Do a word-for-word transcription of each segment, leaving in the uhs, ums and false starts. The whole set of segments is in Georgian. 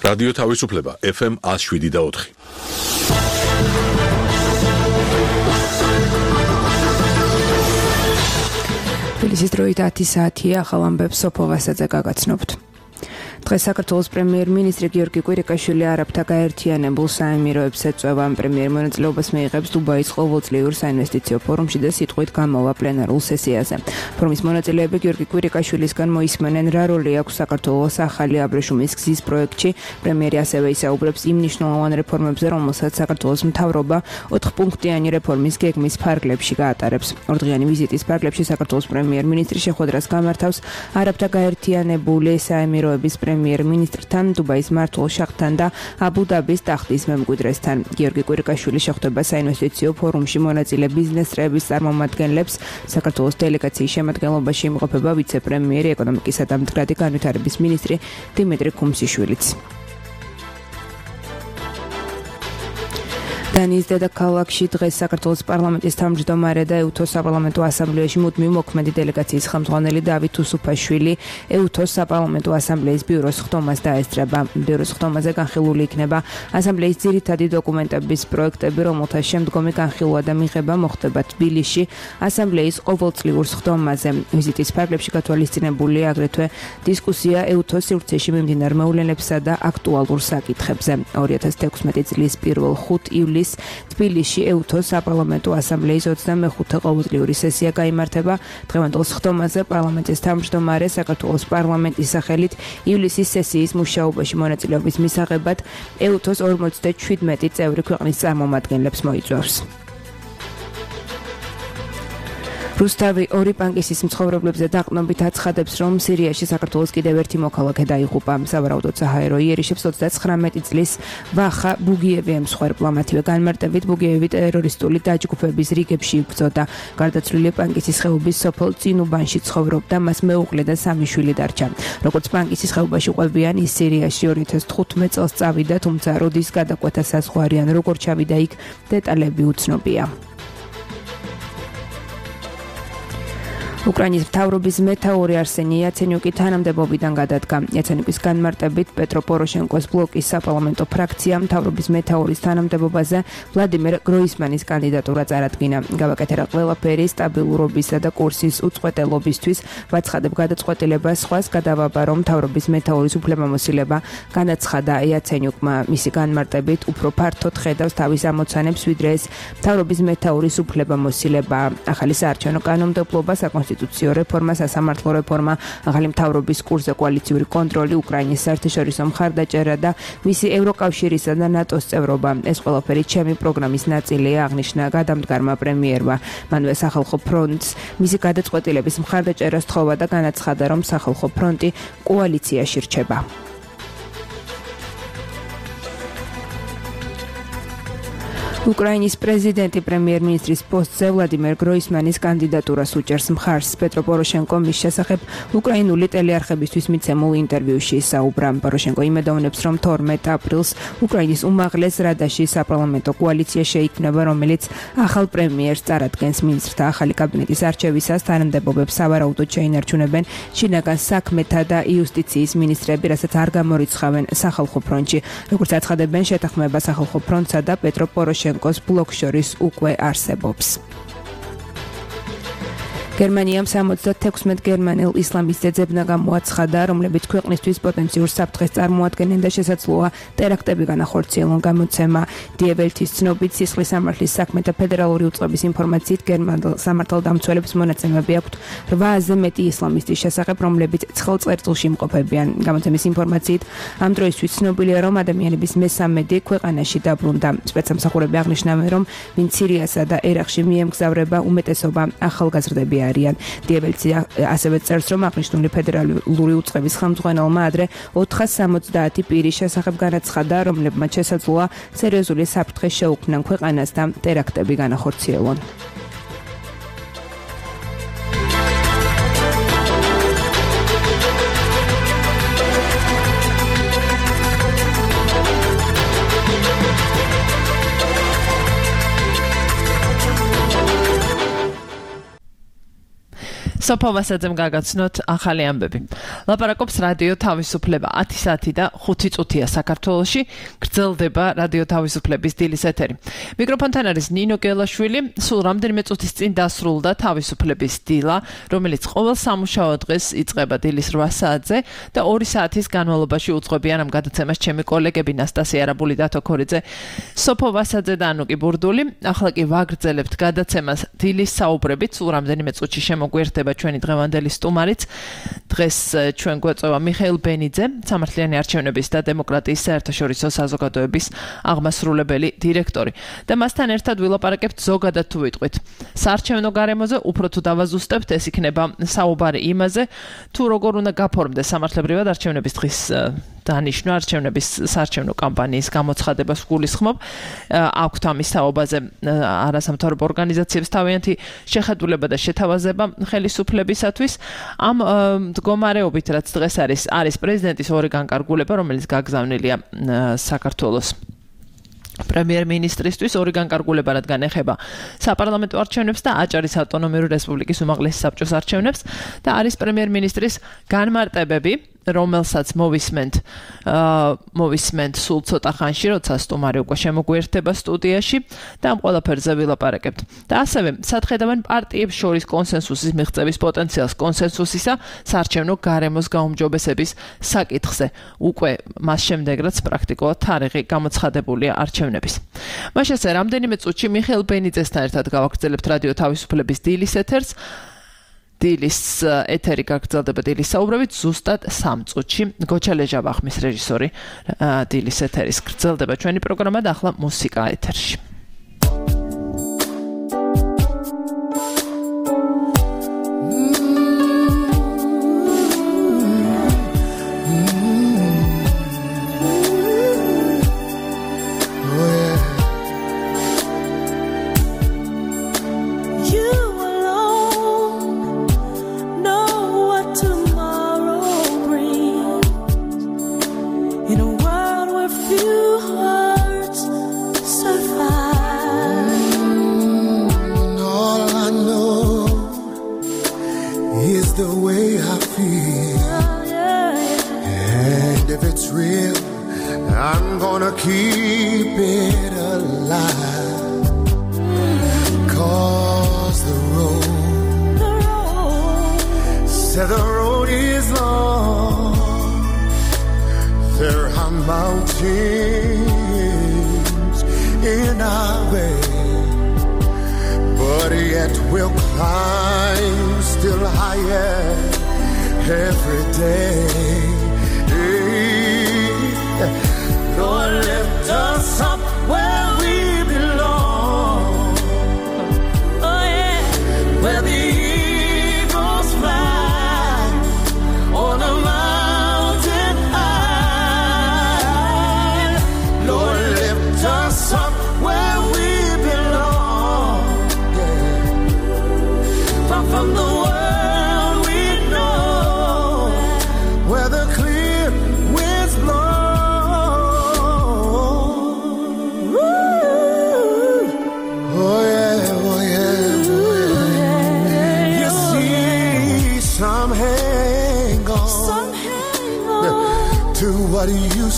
რადიო თავისუფლება ეფ ემ one oh seven და four. თბილისის დროით ათი საათია, ახალ ამბებს სოფო ვასაძე გაგაცნობთ. დღეს საქართველოს პრემიერ-მინისტრი გიორგი კვირიკაშვილი არაბთა გაერთიანებულ საამიროებს ეწვევა. პრემიერ მონაწილეობას მიიღებს დუბაის ყოველწლიურ საინვესტიციო ფორუმში და სიტყვით გამოვა პლენარულ სესიაზე. ფორუმის მონაწილეები გიორგი კვირიკაშვილისგან მოისმენენ, რა როლი აქვს საქართველოს ახალი აბრეშუმის გზის პროექტში. პრემიერი ასევე ისაუბრებს იმ მნიშვნელოვან რეფორმებზე, რომელსაც საქართველოს მთავრობა ოთხპუნქტიანი რეფორმის გეგმის ფარგლებში გაატარებს. ორდღიანი ვიზიტის ფარგლებში საქართველოს პრემიერ-მინისტრი შეხვედრას გამართავს არაბთა გაერთიანებული საამიროების პრემიერ-მინისტრთან, დუბაის მმართველ შახთან და აბუ-დაბის ტახტის მემკვიდრესთან. გიორგი კვირიკაშვილი შეხვდება საინვესტიციო ფორუმში მონაწილე ბიზნეს-წრეების წარმომადგენლებს. საქართველოს დელეგაციის შემადგენლობაში იმყოფება ვიცე-პრემიერი, ეკონომიკისა და მდგრადი განვითარების მინისტრი დიმიტრი ქუმსიშვილიც. დანიის დედაქალაქში დღეს საქართველოს პარლამენტის თავმჯდომარე და ეუთოს საპარლამენტო ასამბლეაში მუდმივ მოქმედი დელეგაციის ხელმძღვანელი დავით უსუფაშვილი ეუთოს საპარლამენტო ასამბლეის ბიუროს ხდომას დაესწრება. ბიუროს ხდომაზე განხილული იქნება ასამბლეის ძირითადი დოკუმენტების პროექტები, რომელთა შემდგომი განხილვა და მიღება მოხდება თბილისში ასამბლეის ყოველწლიურ ხდომაზე. ვიზიტის ფარგლებში გათვალისწინებულია აგრეთვე დისკუსია ეუთოს სივრცეში მიმდინარ მოვლენებსა და აქტუალურ საკითხებზე. ორი ათას თექვსმეტი წლის პირველ ხუთ ივლისს თბილისში ეუთოს საპარლამენტო ასამბლეის ოცდამეხუთე ყოველწლიური სესია გაიმართება. დღევანდელ ხდომაზე პარლამენტის თავმჯდომარე საქართველოს პარლამენტის სახელით ივლისის სესიის მუშაობაში მონაწილეობის მისაღებად ეუთოს ორმოცდაშვიდმეტი წევრი ქვეყნის წარმომადგენლებს მოიწვევს. რუსთავი ორი პანკისის მცხოვრებლებზე დაყრდნობით აცხადებს, რომ სირიაში საქართველოს კიდევ ერთი მოქალაქე დაიღუპა. სავარაუდოდ საჰაერო იერიშებს ოცდაცხრამეტი წლის ვახა ბუგიევი ემსხვერპლა. მათივე განმარტებით ბუგიევი ტერორისტული დაჯგუფების რიგებში იბრძოდა. გარდაცვლილი პანკისის ხეობის სოფელ წინუბანში ცხოვრობდა, მას მეუღლე და სამი შვილი დარჩა. როგორც პანკისის ხეობაში ყვებიან, ის სირიაში ორი ათას თხუთმეტ წელს წავიდა, თუმცა როდის გადაკვეთა საზღვარი ან როგორ ჩავიდა იქ, დეტალები უცნობია. უკრაინის მთავრობის მეთაური არსენი იაცენიუკი თანამდებობიდან გადადგა. იაცენიუკის განმარტებით პეტრო პოროშენკოს ბლოკის საპარლამენტო ფრაქცია მთავრობის მეთაურის თანამდებობაზე ვლადიმერ გროისმანის კანდიდატურა წარადგინა. გავაკეთერა ყველაფერი სტაბილურობისა და კურსის უწყვეტელობისთვის, ვაცხადებ გადაწყვეტილებას სხვას გადავაბა, რომ მთავრობის მეთაურის უფლებამოსილება განაცხადა იაცენიუკმა. მისი განმარტებით უფრო ფართოდ ხედავს თავის ამოცანებს, ვიდრე ეს მთავრობის მეთაურის უფლებამოსილება. ახალი საარჩევნო კანონმდებლობა, საკონსტიტუციო რეფორმა, სასამართლო რეფორმა, ახალი მთავრობის კურსზე კოალიციური კონტროლი, უკრაინის საერთაშორისო მხარდაჭერა და მისი ევროკავშირისა და ნატოს წევრობა. ეს ყველაფერი ჩემი პროგრამის ნაწილია, აღნიშნა გადამდგარმა პრემიერმა. მანვე სახალხო ფრონტს მისი გადაწყვეტილების მხარდაჭერას თხოვა და განაცხადა, რომ სახალხო ფრონტი კოალიციაში რჩება. უკრაინის პრეზიდენტი პრემიერ-მინისტრის პოსტზე ვლადიმერ გროისმანის კანდიდატურას უჭერს მხარს. პეტრო პოროშენკო მის შესახებ უკრაინული ტელეარხებისთვის მიცემულ ინტერვიუში ისაუბრა. პოროშენკო იმედოვნებს, რომ თორმეტ აპრილს უკრაინის უმაღლეს რადაში საპარლამენტო კოალიცია შეიქმნება, რომელიც ახალ პრემიერს წარადგენს. მინისტრთა ახალი კაბინეტის არჩევისას თანამდებობებს სავარაუდოდ შეინარჩუნებენ შინაგან საქმეთა და იუსტიციის მინისტრები, რასაც არ გამორიცხავენ სახალხო ფრონტში. როგორც აცხადებენ, შეთანხმება სახალხო ფრონტსა და პეტრო პოროშენკოს ბლოკს შორის უკვე არსებობს. გერმანიამ სამოცდათექვსმეტ გერმანელ ისლამისტ ძებნა გამოაცხადა, რომლებიც ქვეყნისთვის პოტენციურ საფრთხეს წარმოადგენენ და შესაძლოა ტერაქტები განახორციელონ. გამოცემა Die Welt-ის ცნობით, სისხლის სამართლის საქმეთა ფედერალური უწყების ინფორმაციით, გერმანელ სამართალდამცველებს მონაცემები აქვთ რვააზე მეტი ისლამისტის შესახებ, რომლებიც ცხელ წერტილში იმყოფებიან. გამოცემის ინფორმაციით, ამ დროისთვის ცნობილია, რომ ადამიანების მესამედი ქვეყანაში დაბრუნდა. სპეცსამსახურები აღნიშნავენ, რომ ვინც სირიასა და ერაყში მიემგზავრება, უმეტესობა ახალგაზრდები არიან. Die Welt ასევე წერს, რომ აღნიშნული ფედერალური უწყების ხელმძღვანელმა ადრე ოთხას სამოცდაათი პირის შესახებ განაცხადა, რომლებმაც შესაძლოა სერიოზული საფრთხე შეუქმნან ქვეყანას და ტერაქტები განახორციელონ. სოფო ვასაძემ გაგაცნოთ ახალი ამბები. ლაპარაკობს რადიო თავისუფლება ათი საათი და ხუთი წუთია საქართველოში, გრძელდება რადიო თავისუფლების დილის ეთერი. მიკროფონთან არის ნინო გელაშვილი, სულ რამდენიმე წუთის წინ დასრულდა თავისუფლების დილა, რომელიც ყოველ სამუშაო დღეს იწყება დილის რვა საათზე და ორი საათის განმავლობაში უძღვებიან ამ გადაცემას ჩემი კოლეგები ნასტასია არაბული და თოქორიძე, სოფო ვასაძე და ანუკი ბურდული. ახლა კი ვაგრძელებთ გადაცემას დილის საუბრებით, სულ რამდენიმე წუთში შემოგვიერთდება ჩვენი დღევანდელი სტუმარიც. დღეს ჩვენ გვეწევა მიხეილ ბენიძე, სამართლიანი არჩევნების და დემოკრატიის საერთაშორისო საზოგადოების აღმასრულებელი დირექტორი. და მასთან ერთად ვილაპარაკებთ ზოგადად თუ ვიტყვით საარჩევნო გარემოზე, უფრო თუ დავაზუსტებთ, ეს იქნება საუბარი იმაზე, თუ როგორ უნდა გაფორმდეს სამართლებრივად არჩევნების დღის დანიშნვა, არჩევნების საარჩევნო კამპანიის გამოცხადებას ვგულისხმობ. აქვთ ამის თაობაზე არასამთავრობო ორგანიზაციებს თავიანთი შეხედულება და შეთავაზება ხელისუფლებისათვის. ამ მდგომარეობით, რაც დღეს არის, არის პრეზიდენტის ორი განკარგულება, რომელიც გაგზავნილია საქართველოს პრემიერ-მინისტრისთვის, ორი განკარგულება, რადგან ეხება საპარლამენტო არჩევნებს და აჭარის ავტონომიური რესპუბლიკის უმაღლესი საბჭოს არჩევნებს და არის პრემიერ-მინისტრის განმარტებები, რომელსაც მოვისმენთ მოვისმენთ სულ ცოტა ხანში, როცა სტუმარი უკვე შემოგვიერთდება სტუდიაში და ამ ყველაფერზე ვილაპარაკებთ. და ასევე სათხედავენ პარტიებს შორის კონსენსუსის მიღწევის პოტენციალს, კონსენსუსისა საარჩევნო გარემოს გაუმჯობესების საკითხზე. უკვე მას შემდეგ, რაც პრაქტიკულად თარიღი გამოცხადებულია არჩევნების. მაშასე რამდენიმე წუთში მიხეილ ბენიძესთან ერთად გავაგრძელებთ რადიო თავისუფლების დილის ეთერს. დილის ეთერი გაგრძელდება დილის საუბრებით ზუსტად სამ წუთში. გოჩა ლეჟავახმის რეჟისორი დილის ეთერის გრძელდება ჩვენი პროგრამა და ახლა მუსიკა ეთერში.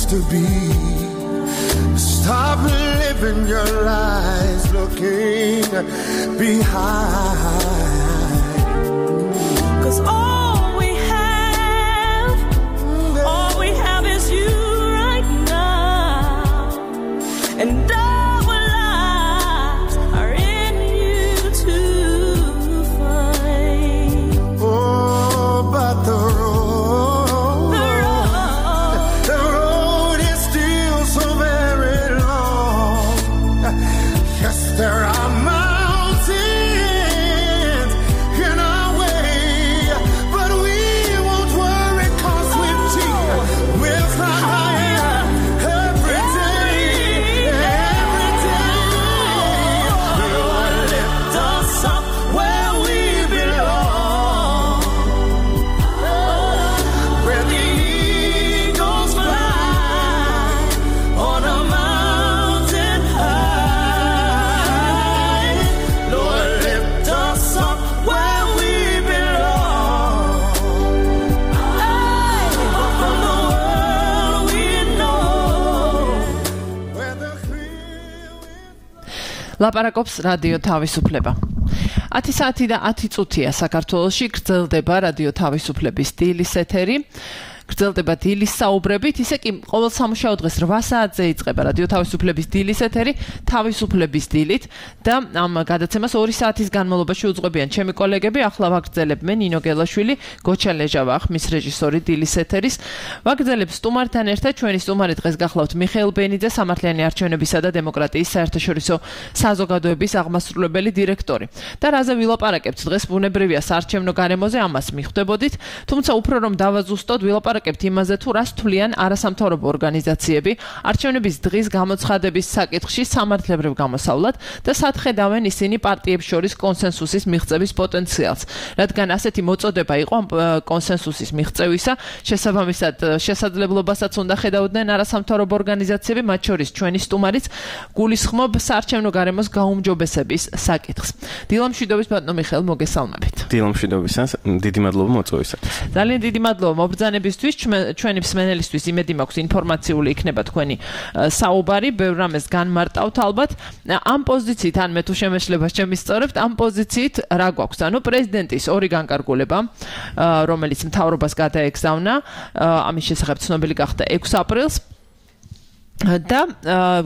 To be, stop living your lives looking behind. 'Cause all we have, all we have is you right now, and our lives are in you to find. Oh, but the there are mountains ლაპარაკობს რადიო თავისუფლება. ათი საათი და ათი წუთია საქართველოში გრძელდება რადიო თავისუფლების დილის ეთერი. გრძელდება დილის საუბრებით, ისე კი ყოველ სამუშაო დღეს რვა საათზე იწყება რადიო თავისუფლების დილის ეთერი, თავისუფლების დილით და ამ გადაცემას ორი საათის განმავლობაში უძღვებიან ჩემი კოლეგები, ახლა ვაგრძელებენ ნინო გელაშვილი, გოჩა ლეჟავა, ხმის რეჟისორი დილის ეთერის. ვაგრძელებ სტუმართან ერთად, ჩვენი სტუმარი დღეს გახლავთ მიხეილ ბენიძე, სამართლიანი არჩევნებისა და დემოკრატიის საერთაშორისო საზოგადოების აღმასრულებელი დირექტორი. და რაზე ვილაპარაკებთ დღეს ბუნებრივია საარჩევნო გარემოზე, ამას მიხვდებოდით, თუმცა უფრო რომ დავაზუსტოთ, ვილაპარაკებთ იმაზე თუ რას თვლიან არასამთავრობო ორგანიზაციები არჩევნების დღის გამოცხადების საკითხში სამართლებრივ გამოსავლად და სათხედავენ ისინი პარტიებს შორის კონსენსუსის მიღწევის პოტენციალს. რადგან ასეთი მოწოდება იყო კონსენსუსის მიღწევისა, შესაბამისად შესაძლებლობასაც უნდა ხედავდნენ არასამთავრობო ორგანიზაციები, მათ შორის ჩვენი სტუმარიც გულისხმობ საარჩევნო გარემოს გაუმჯობესების საკითხს. დილამშვიდობის ბატონო მიხეილ, მოგესალმებით. დილამშვიდობისას, დიდი მადლობა მოწვევისათვის. ძალიან დიდი მადლობა მობრძანებისთვის. ჩვენი მსმენელისთვის იმედი მაქვს ინფორმაციული იქნება თქვენი საუბარი, ბევრ რამეს განმარტავთ ალბათ. ამ პოზიციით, ან მე თუ შემეშლებას შემისწორებთ, ამ პოზიციით რა გვაქვს? ანუ პრეზიდენტის ორი განკარგულება, რომელიც მთავრობას გადაეგზავნა, ამის შესახებ ცნობილი გახდა ექვსი აპრილს. და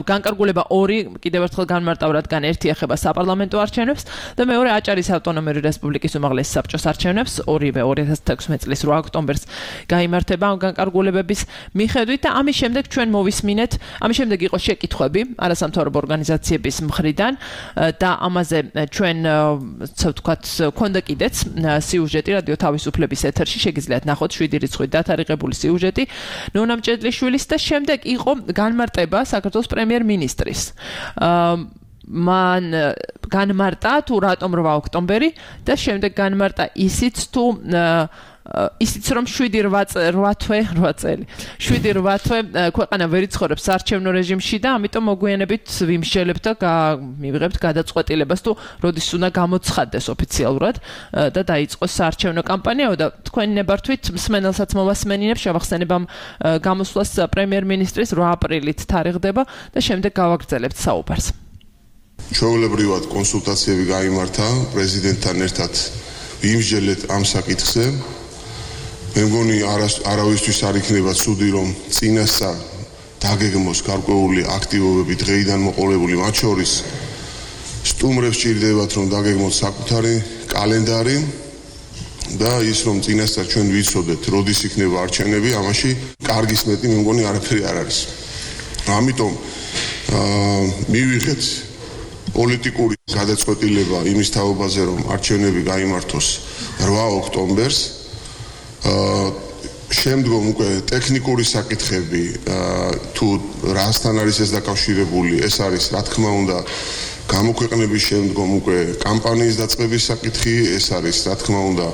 განკარგულება ორი კიდევ ერთხელ განმარტავ, რადგან ერთი ეხება საპარლამენტო არჩევნებს და მეორე აჭარის ავტონომიური რესპუბლიკის უმაღლესი საბჭოს არჩევნებს, ორივე ორი ათას თექვსმეტ წლის რვა ოქტომბერს გაიმართება ამ განკარგულებების მიხედვით და ამის შემდეგ ჩვენ მოვისმინეთ, ამის შემდეგ იყო შეკითხვები არასამთავრობო ორგანიზაციების მხრიდან და ამაზე ჩვენ ასე ვთქვათ, ქონდა კიდეც სიუჟეტი რადიო თავისუფლების ეთერში, შეგიძლიათ ნახოთ შვიდი რიცხვით დათარიღებული სიუჟეტი ნონა მჭედლიშვილის და შემდეგ იყო განმარტება საქართველოს პრემიერ-მინისტრის. მან განმარტა თუ რატომ რვა ოქტომბერი და შემდეგ განმარტა ისიც თუ ისიც რომ შვიდი რვა თვე რვა წელი შვიდი რვა თვე ქვეყანა ვერ იცხოვრებს საარჩევნო რეჟიმში და ამიტომ მოგვიანებით ვიმსჯელებთ და მივიღებთ გადაწყვეტილებას თუ როდის უნდა გამოცხადდეს ოფიციალურად და დაიწყოს საარჩევნო კამპანია და თქვენი ნებართვით მსმენელსაც მოვასმენინებ, შევახსენებ ამ გამოსვლას პრემიერ-მინისტრის რვა აპრილით თარიღდება და შემდეგ გავაგრძელებთ საუბარს. ჩვეულებრივად კონსულტაციები გაიმართა პრეზიდენტთან ერთად ვიმსჯელეთ ამ საკითხზე. მე მგონი არავისთვის არ იქნება ცუდი, რომ წინასწარ დაგეგმოს გარკვეული აქტივობები დღეიდან მოყოლებული, მათ შორის სტუმრებს ჭირდებათ, რომ დაგეგმოთ საკუთარი კალენდარი და ის რომ წინასწარ ჩვენ ვიცოდეთ, როდის იქნება არჩევნები, ამაში კარგის მეტი მე მგონი არაფერი არ არის. ამიტომ მივიღეთ პოლიტიკური გადაწყვეტილება იმის თაობაზე, რომ არჩევნები გაიმართოს რვა ოქტომბერს. შემდგომ უკვე ტექნიკური საკითხები თუ რასთან არის ეს დაკავშირებული, ეს არის რა თქმა უნდა გამოქვეყნების შემდგომ უკვე კამპანიის დაწყების საკითხი, ეს არის რა თქმა უნდა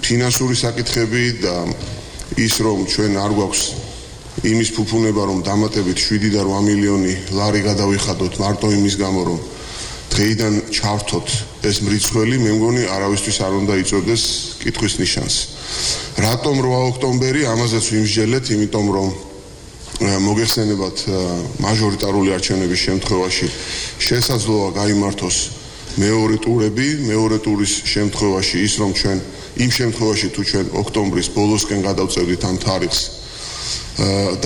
ფინანსური საკითხები და ის რომ ჩვენ არ გვაქვს იმის ფუფუნება, რომ დამატებით შვიდი და რვა მილიონი ლარი გადავიხადოთ მარტო იმის გამო, რომ დღეიდან ჩავრთოთ ეს მრიცხველი, მე მგონი არავისთვის არ უნდა იწოდეს კითხვის ნიშანს. რატომ რვა ოქტომბერი? ამაზეც ვიმსჯელეთ, იმიტომ რომ მოგეხსენებათ მაჟორიტარული არჩევნების შემთხვევაში შესაძლოა გაიმართოს მეორე ტურები, მეორე ტურის შემთხვევაში ის რომ ჩვენ იმ შემთხვევაში თუ ჩვენ ოქტომბრის ბოლოსკენ გადავწევდით ამ თარიღს,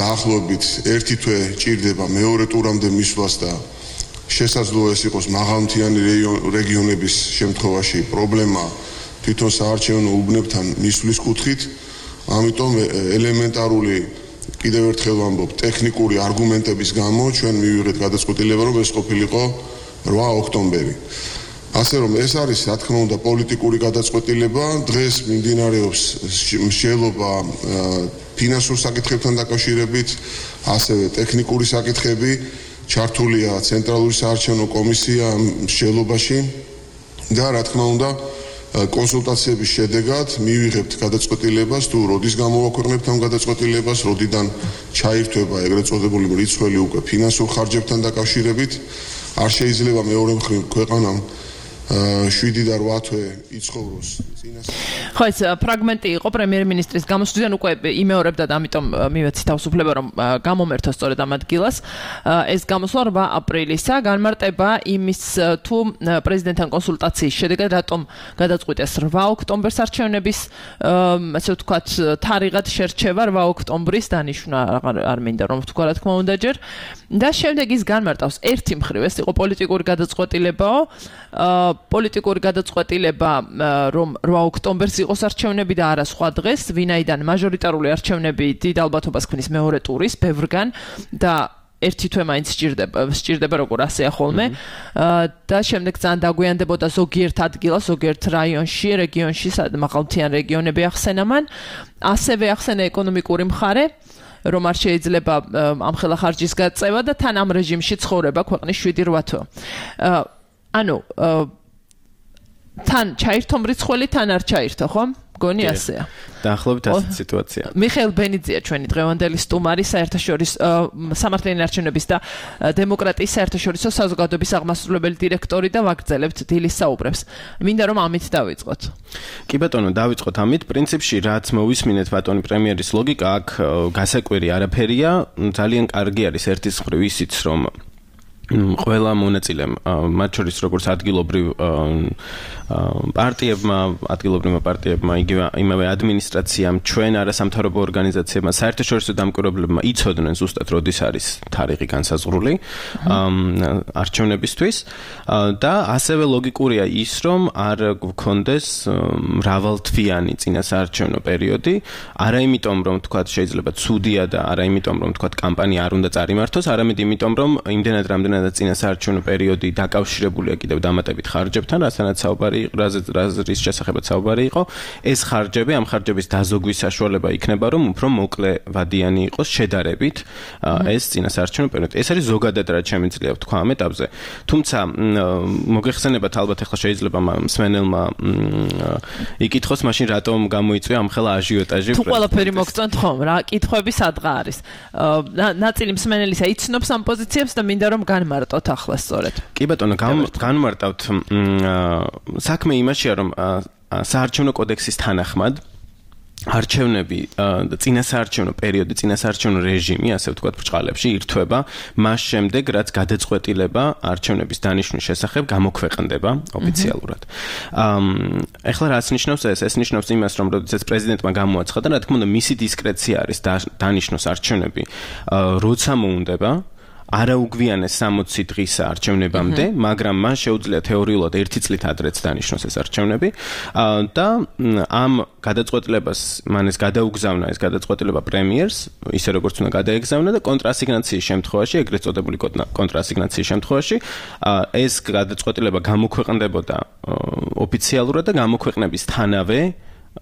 დაახლოებით ერთი თვე ჭირდება მეორე ტურამდე მისვლას და შესაძლოა ეს იყოს მაღალმთიანი რეგიონების შემთხვევაში პრობლემა თვითონ საარჩევნო უბნებთან მისვლის კუთხით, ამიტომ ელემენტარული კიდევ ერთხელ ვამბობ, ტექნიკური არგუმენტების გამო ჩვენ მივიღეთ გადაწყვეტილება, რომ ეს ყოფილიყო რვა ოქტომბერი. ასე რომ ეს არის რა თქმა უნდა პოლიტიკური გადაწყვეტილება, დღეს მიმდინარეობს მსჯელობა ფინანსურ საკითხებთან დაკავშირებით, ასევე ტექნიკური საკითხები, ჩართულია ცენტრალური საარჩევნო კომისია მსჯელობაში და რა თქმა უნდა კონსულტაციების შედეგად მივიღებთ გადაწყვეტილებას თუ როდის გამოვაქვეყნებთ ამ გადაწყვეტილებას, როდიდან ჩაირთვება ეგრეთ წოდებული მრიცხველი უკვე ფინანსურ ხარჯებთან დაკავშირებით. არ შეიძლება მეორე მხრივ ქვეყანამ შვიდი და რვა თვე იცხოვროს წინასწარ. ხო, ეს ფრაგმენტი იყო პრემიერ-მინისტრის გამოსვლიდან უკვე იმეორებდა და ამიტომ მივეცი თავისუფლება რომ გამომერთოს სწორედ ამ ადგილას. ეს გამოსვლა რვა აპრილისა განმარტება იმის თუ პრეზიდენტთან კონსულტაციის შედეგად რატომ გადაწყვიტეს რვა ოქტომბერს არჩევნების ასე ვთქვათ თარიღად შერჩევა რვა ოქტომბრის დანიშვნა არ მინდა რომ ვთქვა რა თქმა უნდა ჯერ და შემდეგ ის განმარტავს ერთი მხრივ ეს იყო პოლიტიკური გადაწყვეტილებაო პოლიტიკური გადაწყვეტილება რომ რვა ოქტომბერს იყოს არჩევნები და არა სხვა დღეს ვინაიდან მაჟორიტარული არჩევნები დიდ ალბათობას ქმნის მეორე ტურის ბევრგან და ერთი თვე მაინც სჭირდება სჭირდება როგორ ასეა ხოლმე და შემდეგ ძალიან დაგვიანდებოდა ზოგიერთ ადგილას ზოგიერთ რაიონში რეგიონში მაღალმთიან რეგიონები ახსენა მან ასევე ახსენა ეკონომიკური მხარე რომ არ შეიძლება ამ ხელახარჯის გაწევა და თან ამ რეჟიმში ცხოვრება ქვეყნის შვიდი რვა თვე ანუ თან ჩაირთო მრიცხველი თან არ ჩაირთო ხო გონი ასეა დაახლოებით ასეთი სიტუაცია მიხეილ ბენიძია ჩვენი დღევანდელი სტუმარი საერთაშორისო სამართლიანი არჩევნების და დემოკრატიის საერთაშორისო საზოგადოების აღმასრულებელი დირექტორი და ვაგრძელებთ დილის საუბრებს მინდა რომ ამით დავიწყოთ კი ბატონო დავიწყოთ ამით პრინციპში რაც მოვისმინეთ ბატონი პრემიერის ლოგიკა აქ გასაკვირი არაფერია ძალიან კარგი არის ერთის მხრივ ისიც რომ ყველა მონაწილემ მათ შორის როგორც ადგილობრივ პარტიებმა ადგილობრივმა პარტიებმა იგივე იმავე ადმინისტრაციამ ჩვენ არასამთავრობო ორგანიზაციებმა საერთაშორისო დამკვირვებლებმა იცოდნენ ზუსტად როდის არის თარიღი განსაზღვრული არჩევნებისთვის და ასევე ლოგიკურია ის რომ არ გქონდეს მრავალთვიანი წინასაარჩევნო პერიოდი არა იმიტომ რომ თქვა შეიძლება ცუდია და არა იმიტომ რომ თქვა კამპანია არ უნდა წარიმართოს არამედ იმიტომ რომ იმდენად რამდენად და წინასაარჩევნო პერიოდი დაკავშირებულია კიდევ დამატებით ხარჯებთან, რასაც საუბარი რის შესახებაც საუბარი იყო, ეს ხარჯები, ამ ხარჯების დაზოგვის საშუალება იქნება, რომ უფრო მოკლე ვადიანი იყოს შედარებით ეს წინასაარჩევნო პერიოდი. ეს არის ზოგადად რაც შემიძლია ვთქვა ამ ეტაპზე. თუმცა მოგეხსენებათ ალბათ ახლა შეიძლება მსმენელმა იკითხოს, მაშინ რატომ გამოიწვია ამ ხელა აჟიოტაჟი? თუ ყველაფერი მოგწონთ ხომ, რა კითხვები სადღა არის? ნაწილი მსმენელისა იცნობს ამ პოზიციებს და მინდა რომ განმარტოთ ახლა სწორედ. კი ბატონო, განმარტავთ საქმე იმაშია რომ საარჩევნო კოდექსის თანახმად არჩევნები და წინასაარჩევნო პერიოდი, წინასაარჩევნო რეჟიმი, ასე ვთქვათ, ბრჭყალებში ირთვება მას შემდეგ, რაც გადაწყვეტილება არჩევნების დანიშვნის შესახებ გამოქვეყნდება ოფიციალურად. ეხლა რაც ნიშნავს ეს? ეს ნიშნავს იმას, რომ როდესაც პრეზიდენტმა გამოაცხადა, რა თქმა უნდა, მისი დისკრეცია არის დანიშნოს არჩევნები, როცა მოუნდება არაუგვიანეს სამოცი დღის არჩევნებამდე, მაგრამ მან შეუძლია თეორიულად ერთი წლით ადრეც დანიშნოს ეს არჩევნები და ამ გადაწყვეტილებას მან ეს გადაუგზავნა ეს გადაწყვეტილება პრემიერს, ისე როგორც უნდა გადაეგზავნა და კონტრასიგნაციის შემთხვევაში, ეგრეთ წოდებული კონტრასიგნაციის შემთხვევაში, ეს გადაწყვეტილება გამოქვეყნდებოდა ოფიციალურად და გამოქვეყნებისთანავე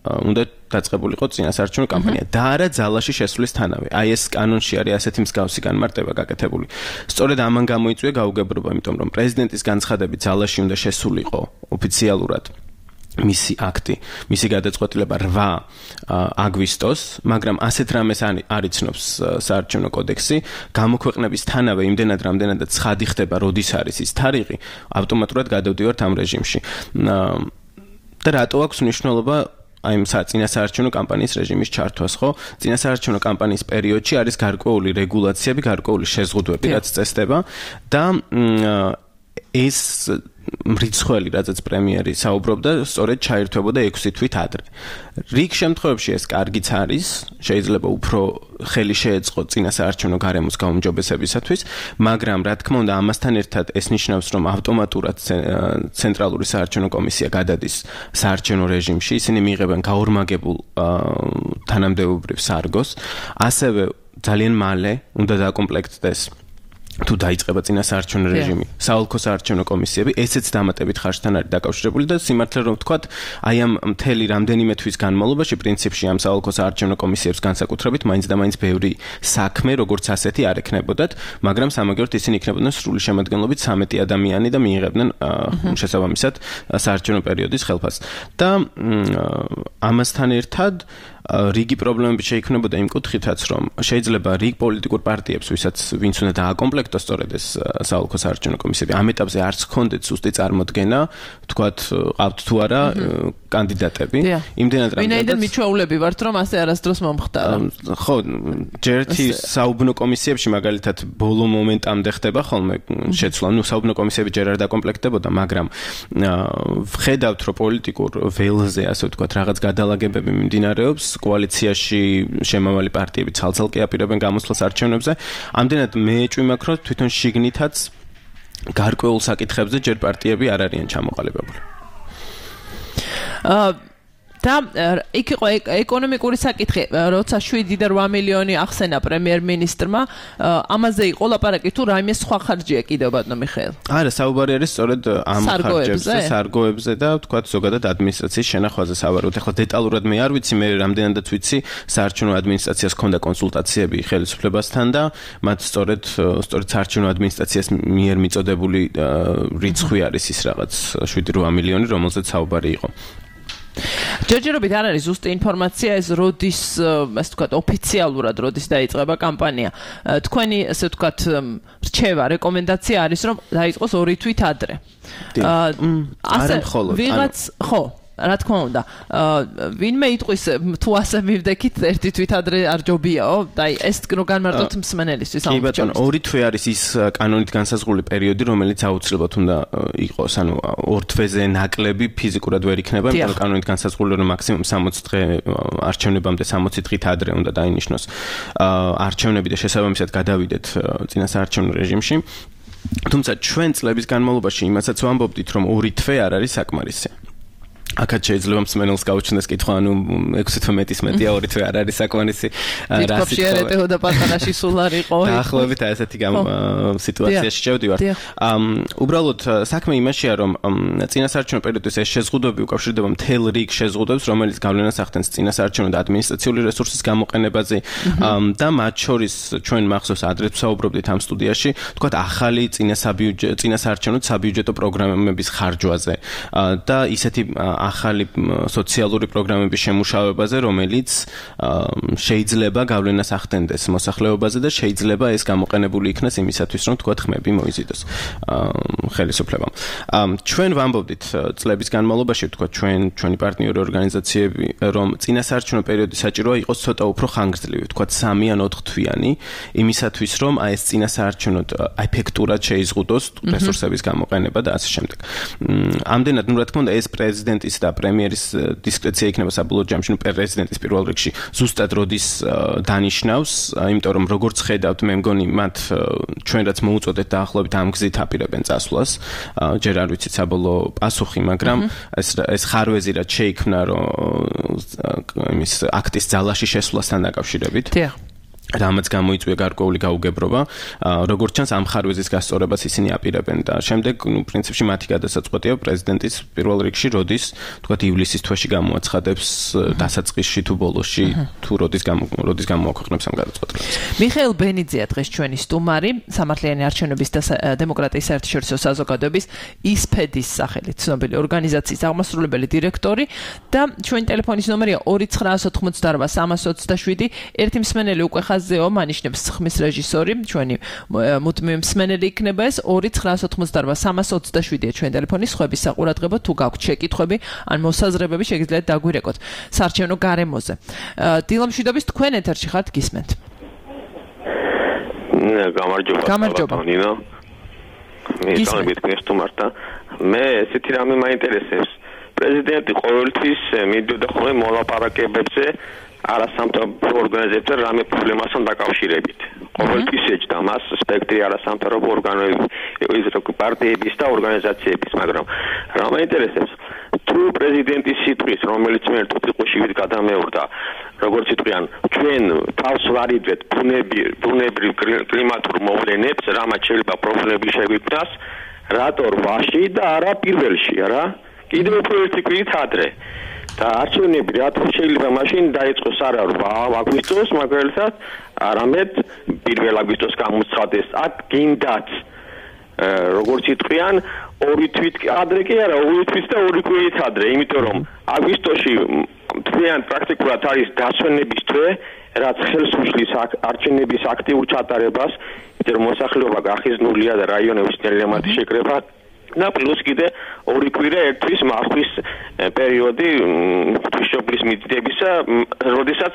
უნდა დაწყებულიყო წინასაარჩევნო კამპანია და არა ძალაში შესვლისთანავე. აი ეს კანონში არის ასეთი მსგავსი განმარტება გაკეთებული. სწორედ ამან გამოიწვია გაუგებრობა, იმიტომ რომ პრეზიდენტის განცხადებით ძალაში უნდა შესულიყო ოფიციალურად მისი აქტი, მისი გადაწყვეტილება რვა აგვისტოს, მაგრამ ასეთ რამეს არ იცნობს საარჩევნო კოდექსი, გამოქვეყნებისთანავე იმდენად რამდენადაც ცხადი ხდება, როდის არის ის თარიღი, ავტომატურად გადავდივართ ამ რეჟიმში. და რატო აქვს მნიშვნელობა აი წინასაარჩევნო კამპანიის რეჟიმის ჩართვას, ხო? წინასაარჩევნო კამპანიის პერიოდში არის გარკვეული რეგულაციები, გარკვეული შეზღუდვები, რაც წესდება და ეს მრიცხველი, რადგან პრემიერი საუბრობდა, სწორედ ჩაირთვებოდა ექვსი თვით ადრე. რიგ შემთხვევებში ეს კარგიც არის, შეიძლება უფრო ხელი შეეწყო წინასაარჩევნო გარემოს გაუმჯობესებისათვის, მაგრამ რა თქმა უნდა, ამასთან ერთად ეს ნიშნავს, რომ ავტომატურად ცენტრალური საარჩევნო კომისია გადადის საარჩევნო რეჟიმში, ისინი მიიღებენ გაორმაგებულ თანამდებობრივ სარგოს, ასევე ძალიან მალე უნდა დაკომპლექტდეს თუ დაიწყება წინასაარჩევნო რეჟიმი, საოლქო საარჩევნო კომისიები, ესეც დამატებით ხარჯთან არის დაკავშირებული და სიმართლე რომ ვთქვათ, აი ამ მთელი რამდენიმე თვის განმავლობაში პრინციპში ამ საოლქო საარჩევნო კომისიებს განსაკუთრებით მაინც და მაინც ბევრი საქმე როგორც ასეთი არ ექნებოდათ, მაგრამ სამაგიეროდ ისინი იქნებოდნენ სრული შემადგენლობით ცამეტი ადამიანი და მიიღებდნენ შესაბამისად საარჩევნო პერიოდის ხელფასს. და ამასთან ერთად რიგი პრობლემები შეიქმნებოდა იმ კუთხითაც, რომ შეიძლება რიგ პოლიტიკურ პარტიებს, ვისაც ვინც უნდა დააკომპლექტოს სწორედ ეს საოლქო საარჩევნო კომისიები, ამ ეტაპზე არც ჰქონდეთ ზუსტი წარმოდგენა, თქვათ, ყავთ თუ არა კანდიდატები. იმდენად რამდენად ვინაიდან მიჩვეულები ვართ, რომ ასე არასდროს მომხდარა. ხო, ჯერთი საუბნო კომისიებში მაგალითად ბოლო მომენტამდე ხდება ხოლმე შეცვლა. ნუ საუბნო კომისიები ჯერ არ დაკომპლექტებოდა, მაგრამ ვხედავთ, რომ პოლიტიკურ ველზე, ასე ვთქვათ, რაღაც გადალაგებები მიმდინარეობს, კოალიციაში შემავალი პარტიები ცალ-ცალკე აპირებენ გამოსვლას არჩევნებზე. ამდენად მე ეჭვი მაქვს, რომ თვითონ შიგნითაც გარკვეულ საკითხებზე ჯერ პარტიები არ არიან ჩამოყალიბებული. აა და იქ იყო ეკონომიკური საკითხი, როცა შვიდი და რვა მილიონი ახსენა პრემიერ-მინისტრმა, ამაზე იყო ლაპარაკი თუ რაიმე სხვა ხარჯია კიდევ ბატონო მიხეილ? არა, საუბარი არის სწორედ ამ ხარჯებზე, სარგოებზე და ვთქვათ ზოგადად ადმინისტრაციის შენახვაზე სავარაუდოდ. ახლა დეტალურად მე არ ვიცი, მე რამდენადაც ვიცი, საარჩევნო ადმინისტრაციას ჰქონდა კონსულტაციები ხელისუფლებასთან და მათ სწორედ სწორედ საარჩევნო ადმინისტრაციას მიერ მიწოდებული რიცხვი არის ის რაღაც შვიდი რვა მილიონი, რომელზეც საუბარი იყო. ჯერჯერობით არ არის ზუსტი ინფორმაცია ეს როდის, ასე ვთქვათ, ოფიციალურად როდის დაიწყება კამპანია. თქვენი, ასე ვთქვათ, რჩევა, რეკომენდაცია არის, რომ დაიწყოს ორი თვით ადრე. არა მხოლოდ. ვიღაც, ხო, რა თქმა უნდა, ვინმე იტყვის თუ ასე მივდექით ერთი თვით ადრე არ ჯობიაო? და ეს რო განმარტოთ მსმენელისთვის ამ კი ბატონო, ორი თვე არის ის კანონით განსაზღვრული პერიოდი, რომელიც აუცილებლად უნდა იყოს, ანუ ორ თვეზე ნაკლები ფიზიკურად ვერ იქნება, იმიტომ რომ კანონით განსაზღვრული რომ მაქსიმუმ სამოცი დღე არჩევნებამდე სამოცი დღით ადრე უნდა დაინიშნოს არჩევნები და შესაბამისად გადავიდეთ წინასაარჩევნო რეჟიმში. თუმცა ჩვენ წლების განმავლობაში იმასაც ვამბობდით, რომ ორი თვე არ არის საკმარისი. აქაც შეიძლება მსმენელს გაუჩნდეს კითხვა, ანუ ექვსი თვე მეტის მეტია, ორი თვე არ არის საკმარისი. რა შეიძლება და პატარაში სულ არ იყო. დაახლოებით ასეთი სიტუაციაში შევდივართ. უბრალოდ საქმე იმაშია, რომ წინასაარჩევნო პერიოდის ეს შეზღუდვები უკავშირდება მთელ რიგ შეზღუდვებს, რომელიც გავლენას ახდენს წინასაარჩევნო და ადმინისტრაციული რესურსის გამოყენებაზე და მათ შორის ჩვენ მახსოვს ადრე ვსაუბრობდით ამ სტუდიაში, თქვათ ახალი წინასაარჩევნო საბიუჯეტო პროგრამების ხარჯვაზე და ისეთი ახალი სოციალური პროგრამების შემუშავებაზე, რომელიც შეიძლება გავლენას ახდენდეს მოსახლეობაზე და შეიძლება ეს გამოყენებული იქნას იმისათვის, რომ თქვათ ხმები მოიზიდოს ხელისუფლებამ. ჩვენ ვამბობდით წლების განმავლობაში, თქვათ ჩვენ ჩვენი პარტნიორი ორგანიზაციები, რომ წინასაარჩევნო პერიოდი საჭიროა იყოს ცოტა უფრო ხანგრძლივი, თქვათ სამი ან ოთხ თვიანი, იმისათვის, რომ აი ეს წინასაარჩევნოდ ეფექტურად შეიზღუდოს რესურსების გამოყენება და ასე შემდეგ. ამდენად, ну, რა თქმა უნდა, ეს პრეზიდენტის და პრემიერის დისკრეცია იქნება საბოლოო ჯამში, ну, პრეზიდენტის პირველ რიგში ზუსტად როდის დანიშნავს, იმიტომ რომ როგორც ხედავთ, მე მგონი მათ ჩვენ რაც მოუწოდეთ დაახლოებით ამ გზით აპირებენ წასვლას. ჯერ არ ვიცით საბოლოო პასუხი, მაგრამ ეს ეს ხარვეზი რაც შეიქმნა, რომ იმის აქტის ძალაში შესვლასთან დაკავშირებით. დიახ. რამაც გამოიწვია გარკვეული გაუგებრობა, როგორც ჩანს ამ ხარვეზის გასწორებას ისინი აპირებენ და შემდეგ, ну, პრინციპში მათი გადასაწყვეტია პრეზიდენტის პირველ რიგში, როდის, თქვათ, ივლისის თვეში გამოაცხადებს დასაწყისში თუ ბოლოში, თუ როდის როდის გამოაქვეყნებს ამ გადაწყვეტილებას. მიხეილ ბენიძეა დღეს ჩვენი სტუმარი, სამართლიანი არჩევნების და დემოკრატიის საერთაშორისო საზოგადოების ისფედის სახელით ცნობილი ორგანიზაციის აღმასრულებელი დირექტორი და ჩვენი ტელეფონის ნომერია ორი ცხრაას ოთხმოცდარვა სამას ოცდაშვიდი. ერთი მსმენელი უკვე ხაზზეო მანიშნებს ხმის რეჟისორი, ჩვენი მუდმივი მსმენელი იქნება ეს ორი ცხრაას ოთხმოცდარვა სამას ოცდაშვიდია ჩვენი ტელეფონის ხვების საყურადღებო, თუ გაქვთ შეკითხვები ან მოსაზრებები შეგიძლიათ დაგვირეკოთ საარჩევნო გარემოზე. დილამშვიდობის, თქვენ ეთერში ხართ, გისმენთ. გამარჯობა. გამარჯობა. ნინო. მე გამიგეთ მესტუმართა. მე ესეთი რამე მაინტერესებს. პრეზიდენტი ყოველთვის მიდიოდა ხოლმე მოლაპარაკებებზე არასამთავრობო ორგანიზაციებთან რამე პრობლემასთან დაკავშირებით. ყოველთვის ეჭდა მას სპექტრი არასამთავრობო ორგანიზაციების, პარტიების და ორგანიზაციების, მაგრამ რა მაინტერესებს, თუ პრეზიდენტის სიტყვის, რომელიც მე ერთ უპირველეს გადამეორდა, როგორც იტყვიან, ჩვენ თავს ვარიდვეთ ბუნებრივ კლიმატურ მოვლენებს, რამაც შეიძლება პრობლემები შეგვიქმნას, რატო რვაში და არა პირველში, რა? კიდევ უფრო ერთი კვირით ადრე. და არჩევნები რატომ შეიძლება მაშინ დაიწყოს არა რვა აგვისტოს, მაგალითად, არამედ პირველ აგვისტოს გამოცხადეს. აქ გინდათ როგორც იტყვიან, ორი თვით ადრე კი არა, ორი თვით და ორი კვირით ადრე, იმიტომ რომ აგვისტოში თვიან პრაქტიკულად არის დასვენების თვე, რაც ხელს უშლის არჩევნების აქტიურ ჩატარებას, იმიტომ რომ მოსახლეობა გახიზნულია და რაიონების ნელემათი შეკრება და პლუს კიდე ორი კვირა ერთვის მართვის პერიოდი ღვთისმშობლის მიწდებისა, როდესაც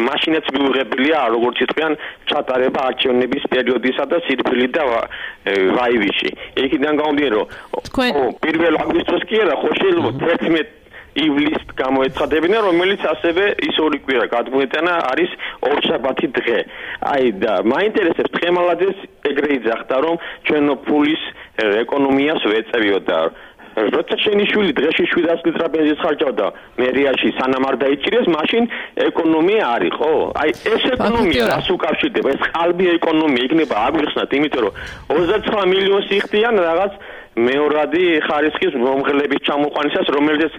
მაშინაც მიუღებელია როგორც იტყვიან ჩატარება არჩევნების პერიოდისა და სირბილი და ვაივიში. იქიდან გამომდინარე რომ პირველ აგვისტოს კი არა, ხო შეიძლება თერთმეტ ივლისს გამოეცხადებინა, რომელიც ასევე ის ორი კვირა გადმოეტანა არის ორშაბათი დღე. აი და მაინტერესებს დღემალაძეს ეგრე იძახდა, რომ ჩვენო ფულის ეკონომიას ვეწევიოდა. როცა შენი შვილი დღეში შვიდას ლიტრი ბენზინს ხარჯავდა მერიაში სანამ არ დაიჭირეს, მაშინ ეკონომია არის, ხო? აი ეს ეკონომია რას უკავშირდება? ეს ყალბი ეკონომია იქნება აგვიხსნათ, იმიტომ რომ ოცდაცხრა მილიონს იხდიან რაღაც მეორადი ხარისხის მომღლების ჩამოყვანისას, რომელზეც